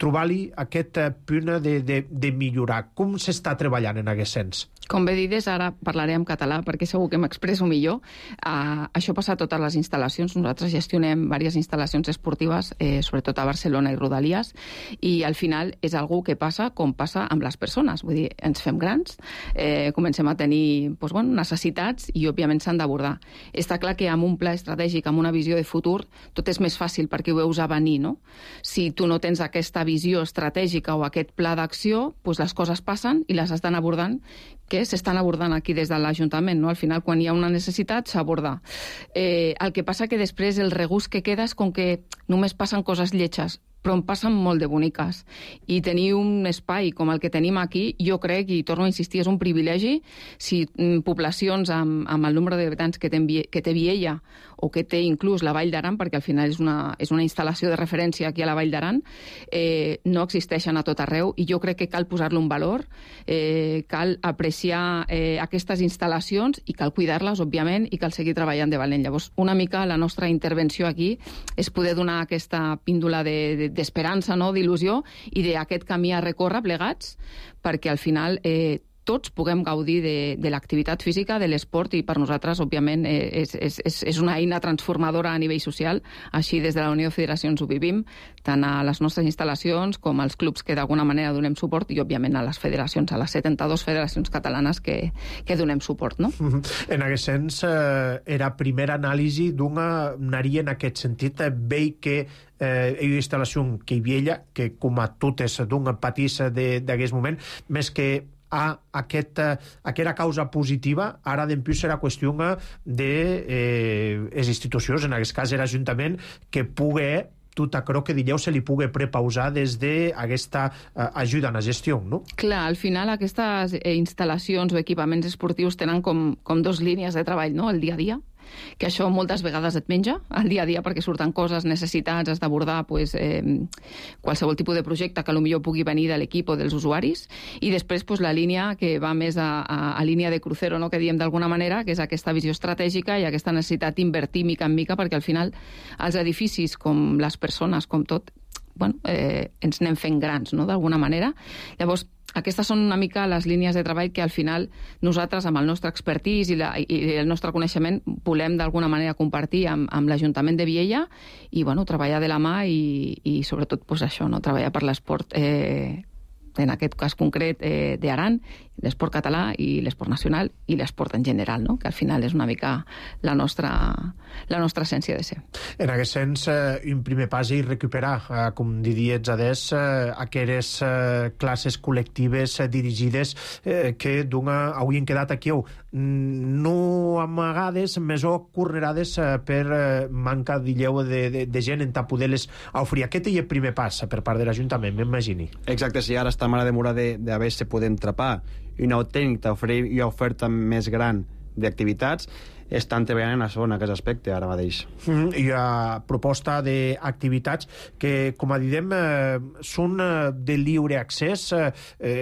A: trobar-li aquest punt de, de, de millorar. Com s'està treballant en aquest sens?
K: Com bé dides, ara parlaré en català perquè segur que m'expresso millor. Uh, això passa a totes les instal·lacions. Nosaltres gestionem diverses instal·lacions esportives, eh, sobretot a Barcelona i Rodalies, i al final és algú que passa com passa amb les persones. Vull dir, ens fem grans, eh, comencem a tenir doncs, bueno, necessitats i, òbviament, s'han d'abordar. Està clar que amb un pla estratègic, amb una visió de futur, tot és més fàcil perquè ho veus a venir, no? Si tu no tens aquesta visió estratègica o aquest pla d'acció, doncs les coses passen i les estan abordant, que s'estan abordant aquí des de l'Ajuntament, no? Al final, quan hi ha una necessitat, s'aborda. Eh, el que passa que després el regust que queda és com que només passen coses lletges, però en passen molt de boniques. I tenir un espai com el que tenim aquí, jo crec, i torno a insistir, és un privilegi. Si mm, poblacions amb, amb el nombre d'habitants que, que té Viella o que té inclús la Vall d'Aran, perquè al final és una, és una instal·lació de referència aquí a la Vall d'Aran, eh, no existeixen a tot arreu, i jo crec que cal posar-lo un valor, eh, cal apreciar eh, aquestes instal·lacions i cal cuidar-les, òbviament, i cal seguir treballant de valent. Llavors, una mica la nostra intervenció aquí és poder donar aquesta píndola de, de d'esperança, no? d'il·lusió, i d'aquest camí a recórrer plegats, perquè al final eh, tots puguem gaudir de, de l'activitat física, de l'esport, i per nosaltres, òbviament, eh, és, és, és una eina transformadora a nivell social. Així, des de la Unió de Federacions ho vivim, tant a les nostres instal·lacions com als clubs que d'alguna manera donem suport, i, òbviament, a les federacions, a les setanta-dues federacions catalanes que, que donem suport. No?
A: En aquest sens, eh, era primera anàlisi d'una anaria en aquest sentit, eh, veig que eh, hi ha una instal·lació que hi havia, que com a totes d'un patís d'aquest moment, més que a aquest, aquesta causa positiva, ara d'empius serà qüestió de eh, les institucions, en aquest cas l'Ajuntament, que pugui tot això que dieu se li pugui prepausar des d'aquesta eh, ajuda en la gestió, no?
K: Clar, al final aquestes eh, instal·lacions o equipaments esportius tenen com, com dos línies de treball, no? El dia a dia, que això moltes vegades et menja al dia a dia perquè surten coses, necessitats, has d'abordar pues, eh, qualsevol tipus de projecte que potser pugui venir de l'equip o dels usuaris, i després pues, la línia que va més a, a, a línia de crucero, no? que diem d'alguna manera, que és aquesta visió estratègica i aquesta necessitat d'invertir mica en mica, perquè al final els edificis, com les persones, com tot, bueno, eh, ens anem fent grans, no? d'alguna manera. Llavors, aquestes són una mica les línies de treball que al final nosaltres, amb el nostre expertís i, la, i el nostre coneixement, volem d'alguna manera compartir amb, amb l'Ajuntament de Viella i bueno, treballar de la mà i, i sobretot pues, això, no? treballar per l'esport, eh, en aquest cas concret eh, d'Aran, l'esport català i l'esport nacional i l'esport en general, no? que al final és una mica la nostra, la nostra essència de ser.
A: En aquest sens, eh, un primer pas és recuperar, eh, com diries adés, eh, aquelles eh, classes col·lectives eh, dirigides eh, que d'una haurien quedat aquí no amagades, més o cornerades eh, per eh, manca, dilleu, de, de, de gent en poder-les oferir. Aquest és el primer pas per part de l'Ajuntament, m'imagini.
J: Exacte, si ara estem a la demora d'haver se podem trapar una autèntica oferir una oferta més gran d'activitats, estan treballant en la zona, en aquest aspecte, ara mateix.
A: Mm, hi ha proposta d'activitats que, com a diem, eh, són de lliure accés, eh,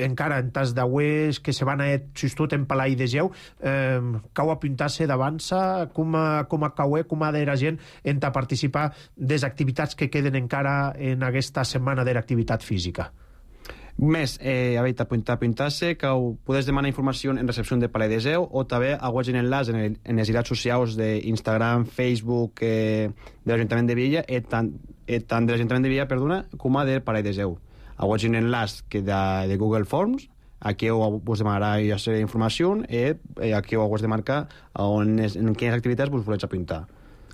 A: encara en tas d'auers que se van a justot en Palai de Geu, eh, cau apuntar-se d'avança, com a, com a cauer, com a de la gent en a participar des activitats que queden encara en aquesta setmana de l'activitat física.
J: Més, eh, a veure, apuntar-se que podeu demanar informació en recepció de Palai de Geu o també a web en enllaç en, el, en les xarxes socials d'Instagram, Facebook, eh, de l'Ajuntament de Viella, i tant, eh, tant de l'Ajuntament de Viella, perdona, com a del Palai de Geu. A web en enllaç que de, de Google Forms, aquí us demanarà la seva informació i eh, aquí us de marcar on, en quines activitats us voleu apuntar.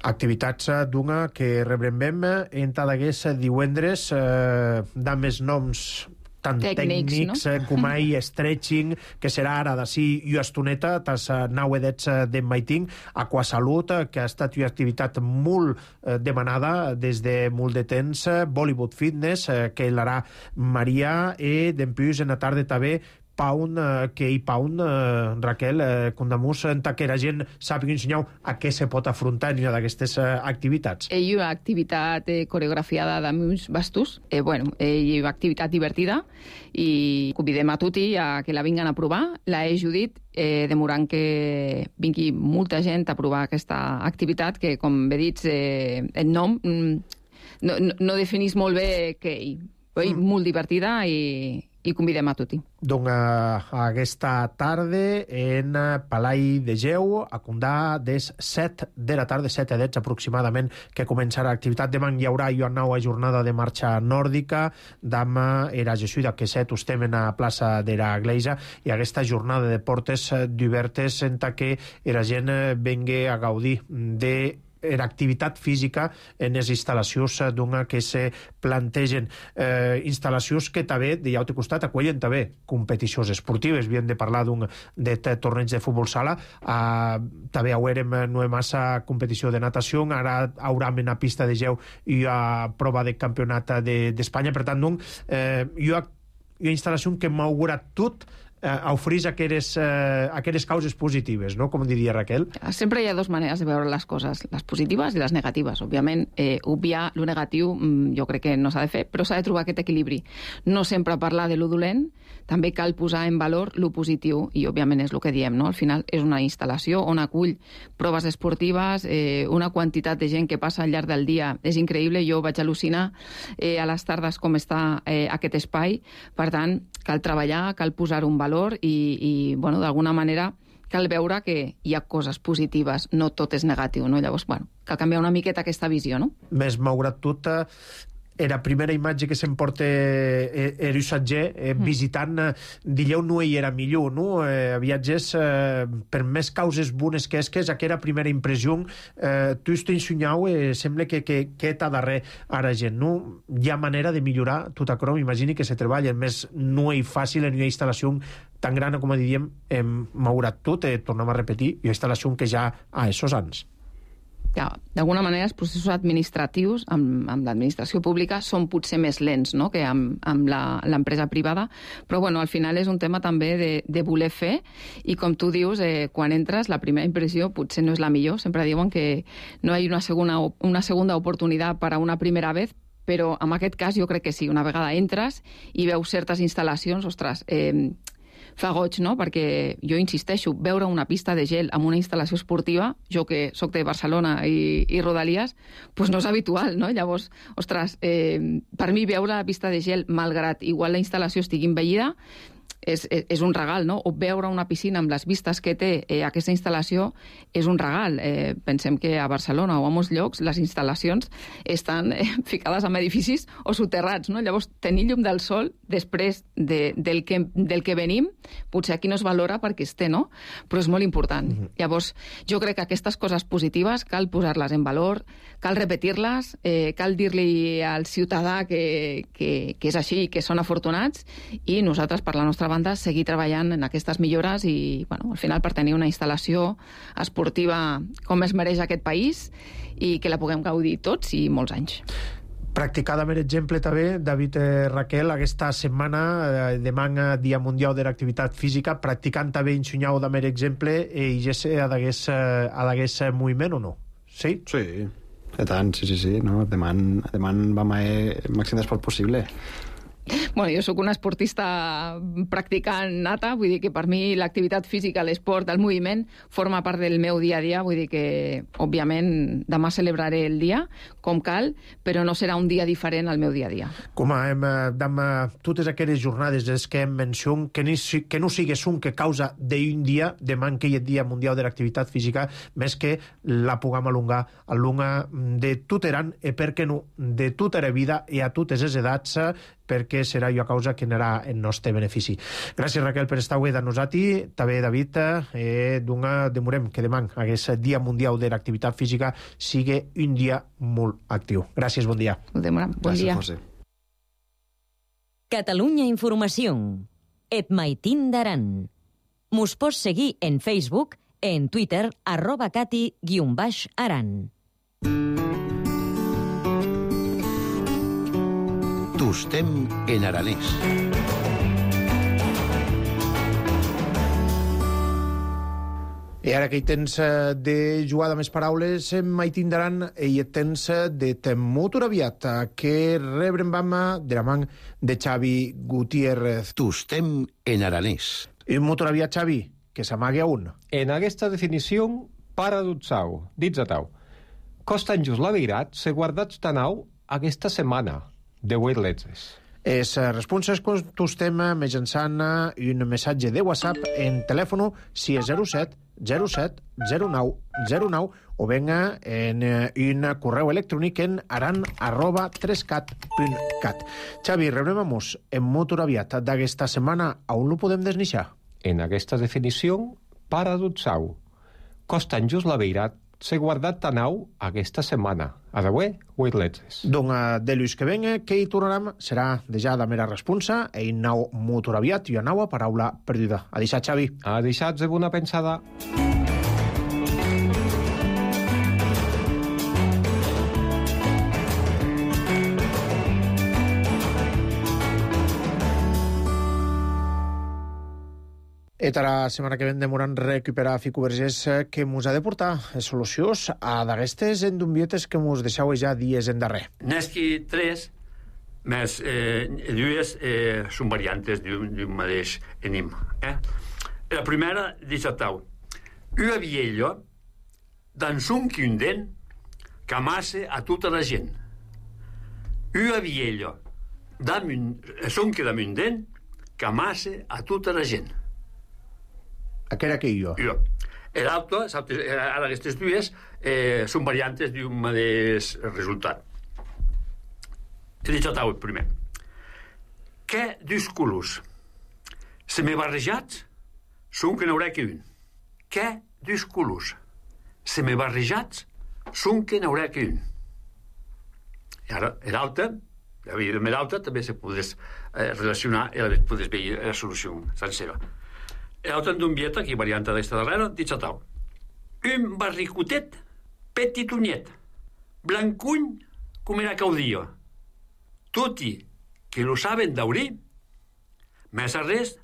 A: Activitats d'una que rebrem en cada divendres, eh, de més noms tant tècnics, tècnics no? com ai stretching, que serà ara d'ací i estoneta, tas nau edets de maiting, aquasalut, que ha estat una activitat molt eh, demanada des de molt de temps, Bollywood Fitness, eh, que l'harà Maria, i d'empús en la tarda també Pound, eh, que hi Pound, eh, Raquel, eh, Condamus, en que la gent sàpiga ensenyar a què se pot afrontar en una d'aquestes eh, activitats.
K: Hi ha una activitat eh, coreografiada d'amics bastos, eh, bueno, eh, hi ha una activitat divertida i convidem a tutti a que la vinguin a provar. La he Judit, eh, demorant que vingui molta gent a provar aquesta activitat, que, com bé dit, eh, el nom mm, no, no, no definís molt bé què hi. Mm. Molt divertida i i convidem a tutti.
A: Donc, uh, aquesta tarda en Palai de Geu, a Condà, des set de la tarda, set a deu aproximadament, que començarà l'activitat. Demà hi haurà una nova jornada de marxa nòrdica, demà era Jesuïda, que set estem en la plaça de la Gleisa, i aquesta jornada de portes d'obertes en què la gent vengui a gaudir de en activitat física en les instal·lacions d'una que se plantegen. Eh, instal·lacions que també, de l'altre costat, acollen també competicions esportives. Havíem de parlar d'un de torneig de futbol sala, eh, també haurem no massa competició de natació, ara haurem en la pista de geu i a prova de campionat d'Espanya. Per tant, doncs, eh, hi ha una instal·lació que m'augura tot eh, oferís aquelles, eh, aquelles causes positives, no? Com diria Raquel.
K: Sempre hi ha dues maneres de veure les coses, les positives i les negatives. Òbviament, eh, obviar lo negatiu jo crec que no s'ha de fer, però s'ha de trobar aquest equilibri. No sempre parlar de lo dolent, també cal posar en valor lo positiu, i òbviament és el que diem, no? Al final és una instal·lació on acull proves esportives, eh, una quantitat de gent que passa al llarg del dia és increïble. Jo vaig al·lucinar eh, a les tardes com està eh, aquest espai. Per tant, cal treballar, cal posar un valor i, i bueno, d'alguna manera cal veure que hi ha coses positives, no tot és negatiu, no? Llavors, bueno, cal canviar una miqueta aquesta visió, no?
A: Més malgrat tot, era la primera imatge que s'emporta el usatger eh, visitant, eh, dilleu no hi era millor, no? Eh, viatges, eh, per més causes bones que és, que és aquella primera impressió, eh, tu estàs ensenyau, eh, sembla que, que, que t'ha darrer ara gent, no? Hi ha manera de millorar tot això, m'imagini que se treballa, més no és fàcil en una instal·lació tan gran com diríem, eh, malgrat tot, eh, tornem a repetir, una instal·lació que ja ha esos anys.
K: Ja, d'alguna manera els processos administratius amb, amb l'administració pública són potser més lents, no?, que amb, amb l'empresa privada, però bueno, al final és un tema també de, de voler fer, i com tu dius, eh, quan entres la primera impressió potser no és la millor, sempre diuen que no hi ha una segona, una segunda oportunitat per a una primera vez, però en aquest cas jo crec que sí, una vegada entres i veus certes instal·lacions, ostres, eh, fa goig, no? Perquè jo insisteixo, veure una pista de gel amb una instal·lació esportiva, jo que sóc de Barcelona i, i Rodalies, pues no és habitual, no? Llavors, ostres, eh, per mi veure la pista de gel, malgrat igual la instal·lació estigui envellida, és, és, és un regal, no? O veure una piscina amb les vistes que té eh, aquesta instal·lació és un regal. Eh, pensem que a Barcelona o a molts llocs les instal·lacions estan eh, ficades en edificis o soterrats, no? Llavors, tenir llum del sol després de, del, que, del que venim, potser aquí no es valora perquè es té, no? Però és molt important. Mm-hmm. Llavors, jo crec que aquestes coses positives cal posar-les en valor, cal repetir-les, eh, cal dir-li al ciutadà que, que, que és així, que són afortunats, i nosaltres, per la nostra banda, seguir treballant en aquestes millores i, bueno, al final per tenir una instal·lació esportiva com es mereix aquest país i que la puguem gaudir tots i molts anys.
A: Practicada, per exemple, també, David, eh, Raquel, aquesta setmana, eh, demà, Dia Mundial de l'Activitat Física, practicant també ensenyau de mer exemple, eh, i ja sé, ha d'hagués moviment o no? Sí?
J: Sí, i tant, sí, sí, sí. No? Demà, demà vam a el màxim d'esport possible.
K: Bueno, jo sóc una esportista practicant nata, vull dir que per mi l'activitat física, l'esport, el moviment, forma part del meu dia a dia, vull dir que, òbviament, demà celebraré el dia, com cal, però no serà un dia diferent al meu dia a dia.
A: Com a, hem, dam, totes aquelles jornades és que hem mencionat, que, ni, que no sigues un que causa d'un dia, demà que hi ha Dia Mundial de l'Activitat Física, més que la puguem alongar, alongar de tot eran, i per què no, de tota la vida i a totes les edats, perquè serà una causa que anirà en nostre benefici. Gràcies, Raquel, per estar avui de nosaltres. També, David, eh, demorem que demà aquest Dia Mundial de l'Activitat Física sigui un dia molt actiu. Gràcies, bon dia.
K: Demorem, bon dia.
J: Gràcies, José.
B: Catalunya Informació. Et maitin d'aran. Mos pots seguir en Facebook, en Twitter, arroba cati guion baix aran.
C: Tostem en aranès.
A: I ara que hi tens de jugar de més paraules, mai tindran i et tens de temut aviat, que rebrem bama de la man de Xavi Gutiérrez.
C: Tostem en aranès.
A: I un motor aviat, Xavi, que s'amague a un.
L: En aquesta definició, paradoxau, dits a tau. Costan just la veritat, se guardats tanau aquesta setmana, de vuit letres.
A: Es responses tostem mitjançant un missatge de WhatsApp en telèfon sis zero set zero set zero nou zero nou o venga en un correu electrònic en aran arroba trescat punt cat. Xavi, rebrem-nos en motor aviat d'aquesta setmana, on lo podem desnixar?
L: En aquesta definició, paradoxau. Costan just la veritat, s'he guardat tanau aquesta setmana. Adeué, vuit letres.
A: Doncs de l'ús que venga, que hi tornarem, serà de ja de mera responsa, e in nau motor aviat i a naua paraula perduda. A deixar, Xavi.
L: A deixar de bona pensada.
A: I la setmana que ven demoran recuperar Fico Vergés que mos ha de portar solucions a d'aquestes endumbietes que mos deixeu ja dies en darrer.
M: N'esqui tres, més eh, dues eh, són variantes d'un mateix enigma. Eh? La primera, dichatau. Una vieja dans un quinden que amassa a tota la gent. Una vieja dans un quinden que amassa a tota la gent.
A: Què era que jo?
M: Jo. L'altre, ara aquestes dues, eh, són variantes d'un mateix resultat. He dit el primer. Què dos colors? Se me barrejats són que n'haurà que un. Què dos colors? Se me barrejats són que n'haurà que un. I ara, l'altre, l'altre també se podés eh, relacionar i podés veure la solució sencera. L'altre d'umbieta, que varianta d'esta darrera, dit a tal. Un barricotet petitonyet, blancuny com era caudia. Toti que lo saben daurir, més a res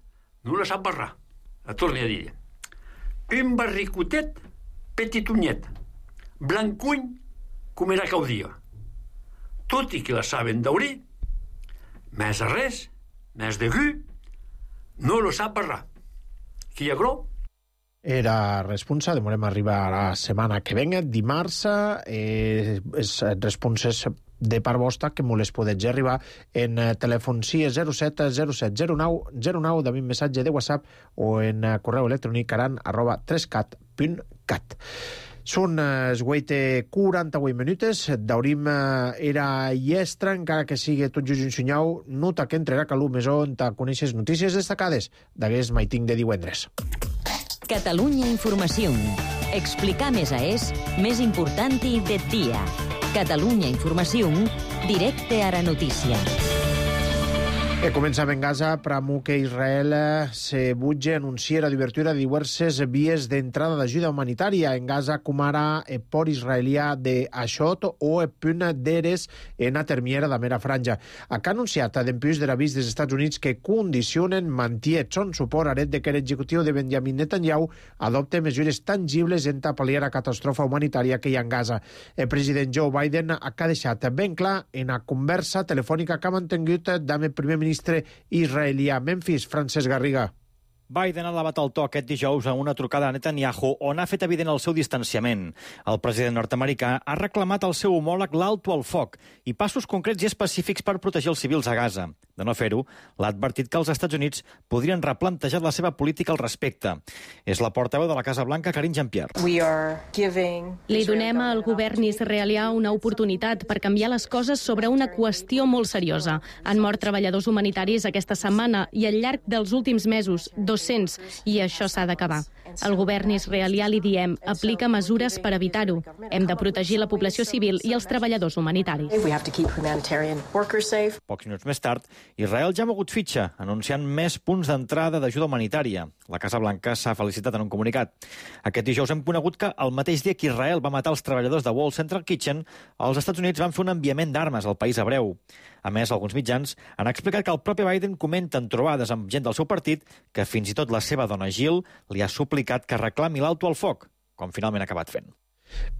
M: no la sap barrar. La torni a dir. Un barricotet petitonyet, blancuny com era caudia. Toti que la saben daurir, més a res, més de gu, no lo sap barrar. Qui hi ha gro?
A: Era responsa, demorem arribar a la setmana que venga, dimarts, eh, és responses de part vostra que me les podeu arribar en telèfon sis zero set zero set zero nou zero nou de mi missatge de WhatsApp o en correu electrònic aran arroba trescat punt cat. Són es guaite quaranta-vuit minuts, daurim era iestra, encara que sigui tot just un senyal, nota que entrerà calú més on te coneixes notícies destacades d'aquest maiting de divendres.
B: Catalunya Informació. Explicar més a és més important de dia. Catalunya Informació, directe a la notícia.
A: E començam en Gaza, pramo que Israel se butge anuncia la d'obertura de diverses vies d'entrada d'ajuda humanitària en Gaza, com ara el port israelià de Ashot o el punt d'Eres en la termiera de mera franja. Ha anunciat d'empús de l'avís dels Estats Units que condicionen mantiet son suport aret de que l'executiu de Benjamin Netanyahu adopte mesures tangibles en pal·liar la catastrofa humanitària que hi ha en Gaza. El president Joe Biden ha deixat ben clar en la conversa telefònica que ha mantingut amb el primer ministre ministre israelià Memphis, Francesc Garriga.
N: Biden ha elevat el to aquest dijous a una trucada a Netanyahu on ha fet evident el seu distanciament. El president nord-americà ha reclamat al seu homòleg l'alto al foc i passos concrets i específics per protegir els civils a Gaza. De no fer-ho, l'ha advertit que els Estats Units podrien replantejar la seva política al respecte. És la portaveu de la Casa Blanca, Karine Jean-Pierre.
O: Li donem al govern israelià una oportunitat per canviar les coses sobre una qüestió molt seriosa. Han mort treballadors humanitaris aquesta setmana i al llarg dels últims mesos, dos-cents, i això s'ha d'acabar. Al govern israelià li diem, aplica mesures per evitar-ho. Hem de protegir la població civil i els treballadors humanitaris.
N: Pocs minuts més tard, Israel ja ha mogut fitxa, anunciant més punts d'entrada d'ajuda humanitària. La Casa Blanca s'ha felicitat en un comunicat. Aquest dijous hem conegut que el mateix dia que Israel va matar els treballadors de Wall Central Kitchen, els Estats Units van fer un enviament d'armes al país hebreu. A més, alguns mitjans han explicat que el propi Biden comenta en trobades amb gent del seu partit que fins i tot la seva dona Jill li ha suplicat que reclami l'alto al foc, com finalment ha acabat fent.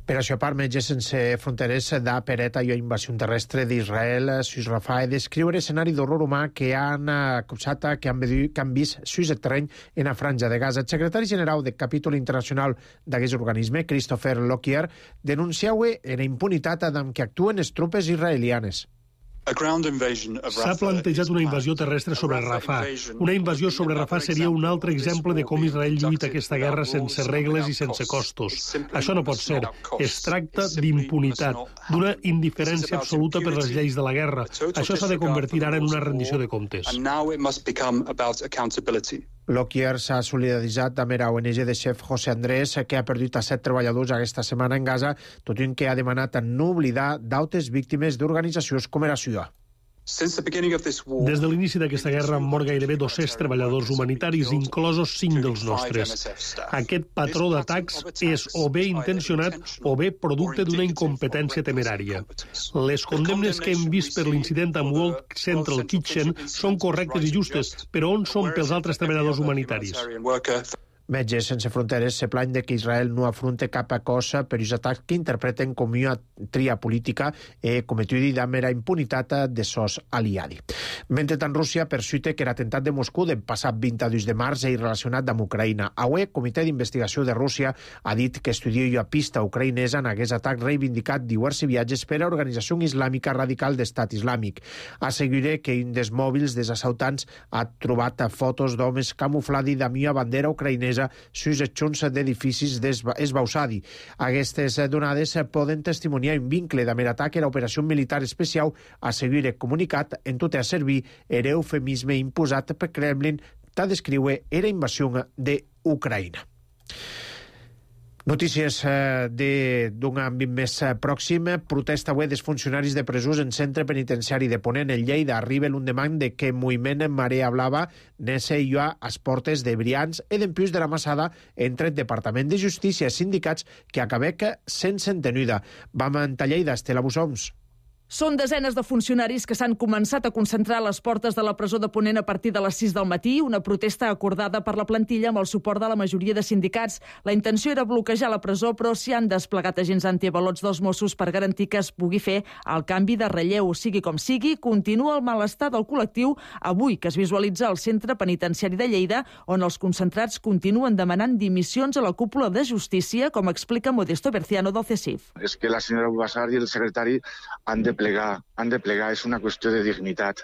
A: Per això, part Metges Sense Fronteres da per a la invasió terrestre d'Israel, sus Rafah, descriure escenari d'horror humà que han acusat que han, que han vist sus el terreny en la franja de Gaza. El secretari general del capítol internacional d'aquest organisme, Christopher Lockyer, denunciava la impunitat amb què actuen les tropes israelianes.
P: S'ha plantejat una invasió terrestre sobre Rafah. Una invasió sobre Rafah seria un altre exemple de com Israel lluita aquesta guerra sense regles i sense costos. Això no pot ser. Es tracta d'impunitat, d'una indiferència absoluta per les lleis de la guerra. Això s'ha de convertir ara en una rendició de comptes.
A: Lockyer s'ha solidaritzat amb la O N G de chef José Andrés, que ha perdut a set treballadors aquesta setmana en Gaza, tot i que ha demanat no oblidar d'altres víctimes d'organitzacions com la suya.
P: Des de l'inici d'aquesta guerra han mort gairebé dos-cents treballadors humanitaris, inclosos cinc dels nostres. Aquest patró d'atacs és o bé intencionat o bé producte d'una incompetència temerària. Les condemnes que hem vist per l'incident amb World Central Kitchen són correctes i justes, però on són pels altres treballadors humanitaris?
A: Metges Sense Fronteres se plany de que Israel no afronta cap cosa per els atacs que interpreten com una tria política eh, cometuda amb la impunitat de sos aliadi. Mentrestant, Rússia persuite que l'atemptat de Moscou del passat vint-i-dos de març és relacionat amb Ucraïna. Avui, el Comitè d'Investigació de Rússia ha dit que estudia la pista ucraïnesa en aquest atac reivindicat diversos viatges per a l'Organització Islàmica Radical d'Estat Islàmic. Assegura que un dels mòbils dels assaltants ha trobat fotos d'homes camuflats amb una bandera ucraïnesa sus els xons d'edificis d'esbausadi. Aquestes donades poden testimoniar un vincle amb l'atac a l'operació militar especial, assegura comunicat en tot a servir l'eufemisme imposat per Kremlin per descriure la invasió d'Ucraïna. Notícies d'un àmbit més pròxim. Protesta avui dels funcionaris de presons en centre penitenciari de Ponent, en Lleida. Arriba l'undemant de que moviment Marea Blava nese i a les portes de Brians i d'empius de la Massada entre el Departament de Justícia i sindicats que acabec sense entenuda. Vam a Lleida, Estela Bussoms.
Q: Són desenes de funcionaris que s'han començat a concentrar a les portes de la presó de Ponent a partir de les sis del matí, una protesta acordada per la plantilla amb el suport de la majoria de sindicats. La intenció era bloquejar la presó, però s'hi han desplegat agents antiavalots dels Mossos per garantir que es pugui fer el canvi de relleu. Sigui com sigui, continua el malestar del col·lectiu avui que es visualitza al centre penitenciari de Lleida, on els concentrats continuen demanant dimissions a la cúpula de justícia, com explica Modesto Berciano del CESIF.
R: És que la senyora Bubassar i el secretari han de plegar, han de plegar, és una qüestió de dignitat.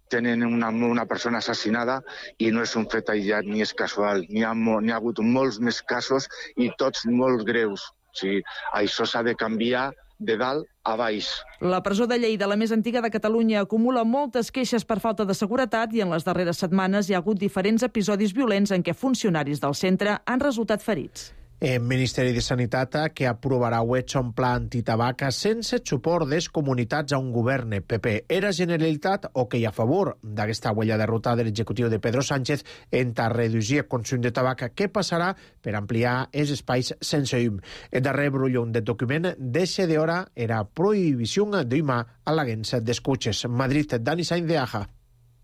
R: Tenen una, una persona assassinada i no és un fet aïllat ni és casual. N'hi ha, n'hi ha hagut molts més casos i tots molt greus. O sigui, això s'ha de canviar de dalt a baix.
Q: La presó de Lleida, la més antiga de Catalunya, acumula moltes queixes per falta de seguretat i en les darreres setmanes hi ha hagut diferents episodis violents en què funcionaris del centre han resultat ferits.
A: El Ministeri de Sanitat que aprovarà avui un pla antitabac sense suport des comunitats a un govern P P. Era Generalitat o que hi ha a favor d'aquesta huella de ruta de l'executiu de Pedro Sánchez en reduir el consum de tabac. Què passarà per ampliar els espais sense llum? El darrer brullón del document deixa d'hora era prohibició d'humar a l'agència d'escutxes. Madrid, Dani Sainz de Aja.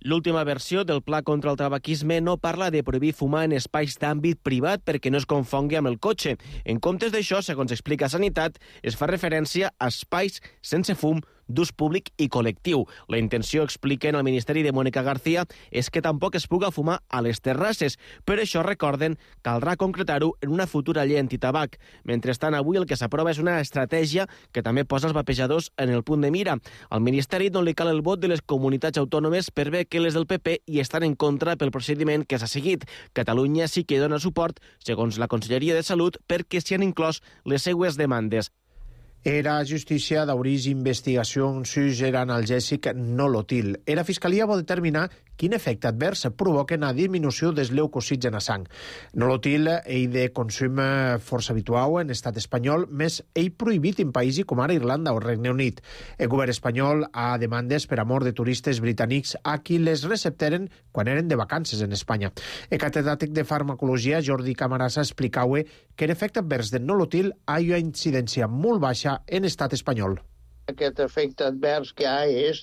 S: L'última versió del pla contra el tabaquisme no parla de prohibir fumar en espais d'àmbit privat perquè no es confongui amb el cotxe. En comptes d'això, segons explica Sanitat, es fa referència a espais sense fum d'ús públic i col·lectiu. La intenció, expliquen al Ministeri de Mónica García, és que tampoc es puga fumar a les terrasses. Per això, recorden, caldrà concretar-ho en una futura llei antitabac. Mentrestant, avui el que s'aprova és una estratègia que també posa els vapejadors en el punt de mira. Al Ministeri no li cal el vot de les comunitats autònomes per bé que les del P P hi estan en contra pel procediment que s'ha seguit. Catalunya sí que dona suport, segons la Conselleria de Salut, perquè s'hi han inclòs les seues demandes.
A: Era justícia d'obrir investigació sus era analgèsic nolotil. Era fiscalia vol determinar quin efecte advers provoquen a disminució dels leucocits en la sang. Nolotil, ell de consum força habitual en estat espanyol, més ell prohibit en països com ara Irlanda o Regne Unit. El govern espanyol ha demandes per amor de turistes britànics a qui les recepteren quan eren de vacances en Espanya. El catedràtic de farmacologia, Jordi Camarasa, explicava que l'efecte advers del nolotil ha una incidència molt baixa en estat espanyol.
T: Aquest efecte advers que hi ha és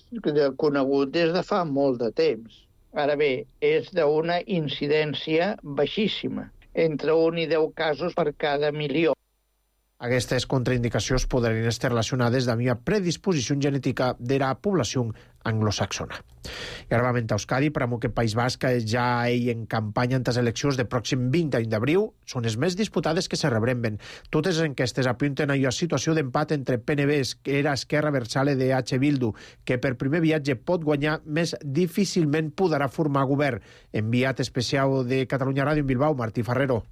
T: conegut des de fa molt de temps. Ara bé, és d'una incidència baixíssima, entre un i deu casos per cada milió.
A: Aquestes contraindicacions podrien estar relacionades amb una predisposició genètica de la població anglosaxona. I ara vam a Euskadi, per amunt que País Basc ja ell en campanya en les eleccions de pròxim vint d'abril són les més disputades que se rebremben. Totes les enquestes apunten a una situació d'empat entre P N B, que era Esquerra Abertzale de H. Bildu, que per primer viatge pot guanyar, més difícilment podrà formar govern. Enviat especial de Catalunya Ràdio en Bilbao, Martí Ferrero.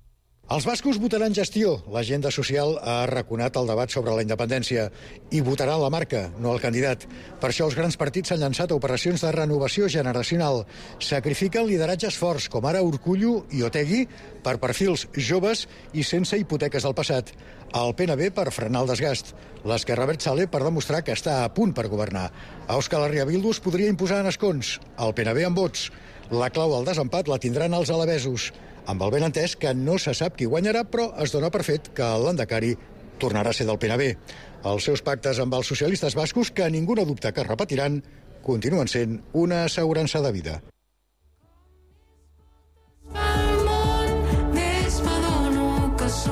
U: Els bascos votaran gestió. L'agenda social ha arraconat el debat sobre la independència i votaran la marca, no el candidat. Per això els grans partits s'han llançat a operacions de renovació generacional. Sacrifiquen lideratges forts, com ara Urkullu i Otegi, per perfils joves i sense hipoteques del passat. El P N B per frenar el desgast. L'Esquerra Abertzale per demostrar que està a punt per governar. A Euskal Herria Bildu es podria imposar en escons. El P N B amb vots. La clau al desempat la tindran els alabesos, amb el benentès que no se sap qui guanyarà, però es dona per fet que l'Endacari tornarà a ser del P N B. Els seus pactes amb els socialistes bascos, que ningú no dubta que repetiran, continuen sent una assegurança de vida.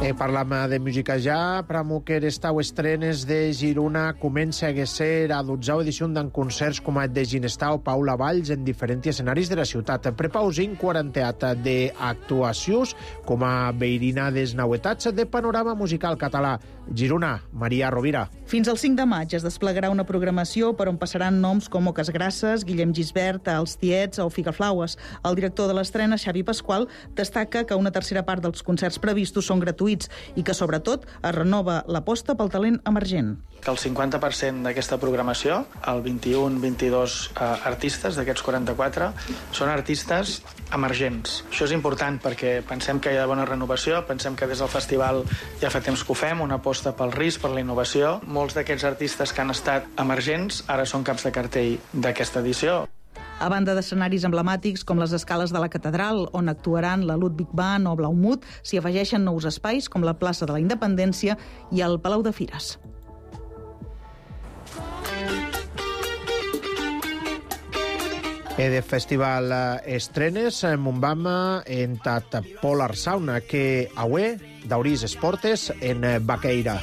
A: Eh, parlam de música ja, pramo que estau estrenes de Girona comença a ser a dotzena edició d'en concerts com el de Ginestau, Paula Valls, en diferents escenaris de la ciutat. Prepausin quaranteat d'actuacions com a veirinades nauetats de panorama musical català. Girona, Maria Rovira.
V: Fins al cinc de maig es desplegarà una programació per on passaran noms com Oques Grasses, Guillem Gisbert, Els Tiets o Figaflaues. El director de l'estrena, Xavi Pasqual, destaca que una tercera part dels concerts previstos són gratuïts i que, sobretot, es renova l'aposta pel talent emergent.
W: Que el cinquanta per cent d'aquesta programació, el vint-i-un vint-i-dos eh, artistes d'aquests quaranta-quatre, són artistes emergents. Això és important perquè pensem que hi ha bona renovació, pensem que des del festival ja fa temps que ho fem, una aposta pel risc, per la innovació. Molts d'aquests artistes que han estat emergents ara són caps de cartell d'aquesta edició.
V: A banda d'escenaris emblemàtics com les escales de la Catedral, on actuaran la Ludwig Band o Blaumut, s'hi afegeixen nous espais com la plaça de la Independència i el Palau de Fires.
A: E de festival estrenes, Montbama en tat Polar Sauna, que aué d'Auris Esportes en Baqueira.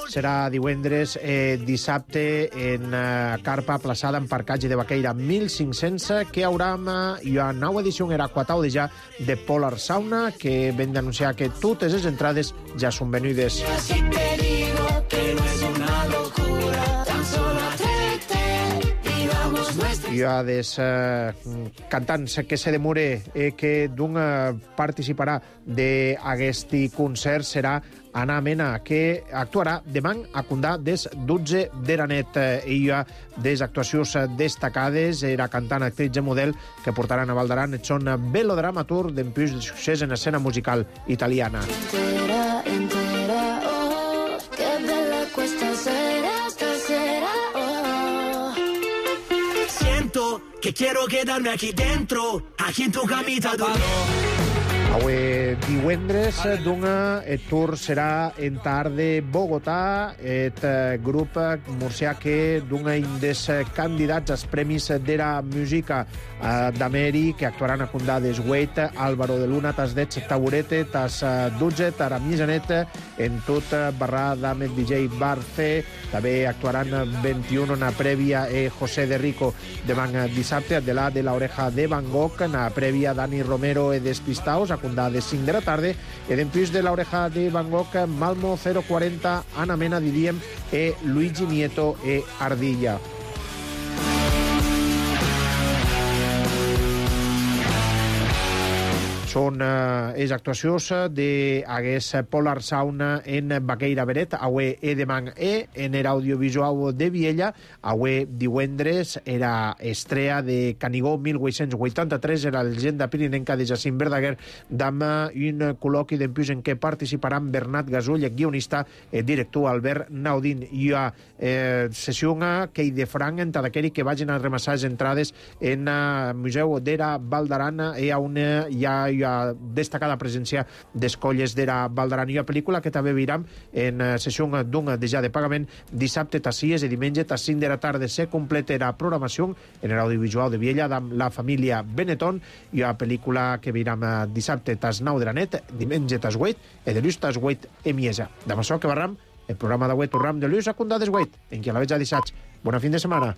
A: Serà divendres, eh, dissabte, en eh, carpa plaçada en parcatge de Baqueira mil cinc-cents, que haurà una nova edició en Aquatau de ja de Polar Sauna, que ven d'anunciar que totes les entrades ja són venudes. Si te digo que no es una locura, tan solo i a des eh, cantants que se demore eh, que d'un eh, participarà d'aquest concert serà Anna Mena, que actuarà demà a Condà des dotze de la nit. Ella, des actuacions destacades, era cantant, actriz i model que portaran a Val d'Aran. Són velodramaturg d'empús de succés en escena musical italiana. Entera, entera, oh, que bella questa sera, stasera, oh. Siento que quiero quedarme aquí dentro, aquí en tu camita dormir. Avui divendres, d'una, el tour serà en tard de Bogotà, el grup murcià que d'una des candidats als premis de la música d'Ameri, que actuaran a Condà des Wait, Álvaro de Luna, tas dets Taburete, tas dotze, tara misanet, en tot barra d'Ahmed D J Barce, també actuaran vint-i-u na prèvia e José de Rico demà dissabte, de la de la Oreja de Van Gogh, na prèvia Dani Romero e Despistaos, a Condà de cinc de la tarda, e d'empús de la Oreja de Van Gogh, Malmo zero quaranta, Ana Mena, diríem, e Luigi Nieto e Ardilla. Són eh, és actuacions d'aguest Polar Sauna en Baqueira Beret, avui e demà e, en el audiovisual de Viella, avui divendres era estrea de Canigó mil vuit-cents vuitanta-tres, era la llegenda pirinenca de Jacint Verdaguer, amb un col·loqui d'empius en què participaran Bernat Gasull, guionista, el director Albert Naudín. Hi ha eh, sessió que hi de franc en tot aquell que vagin a remassar les entrades en el Museu d'Era Valdaran, i on hi ha hi ha destacada presència d'escolles d'Era Valdaran. Hi ha pel·lícula que també viram en sessió d'un de ja de pagament dissabte tas sis i diumenge tas cinc de la tarda. Se completa la programació en l'audiovisual de Viella amb la família Benetton. Hi ha pel·lícula que viram dissabte tas nou de la nit, diumenge tas vuit i dilluns tas vuit i miesa. Amb això que barram el programa d'avui tornem de l'ús a Condades vuit, en qui a la veig a dissabte. Bona fin de setmana.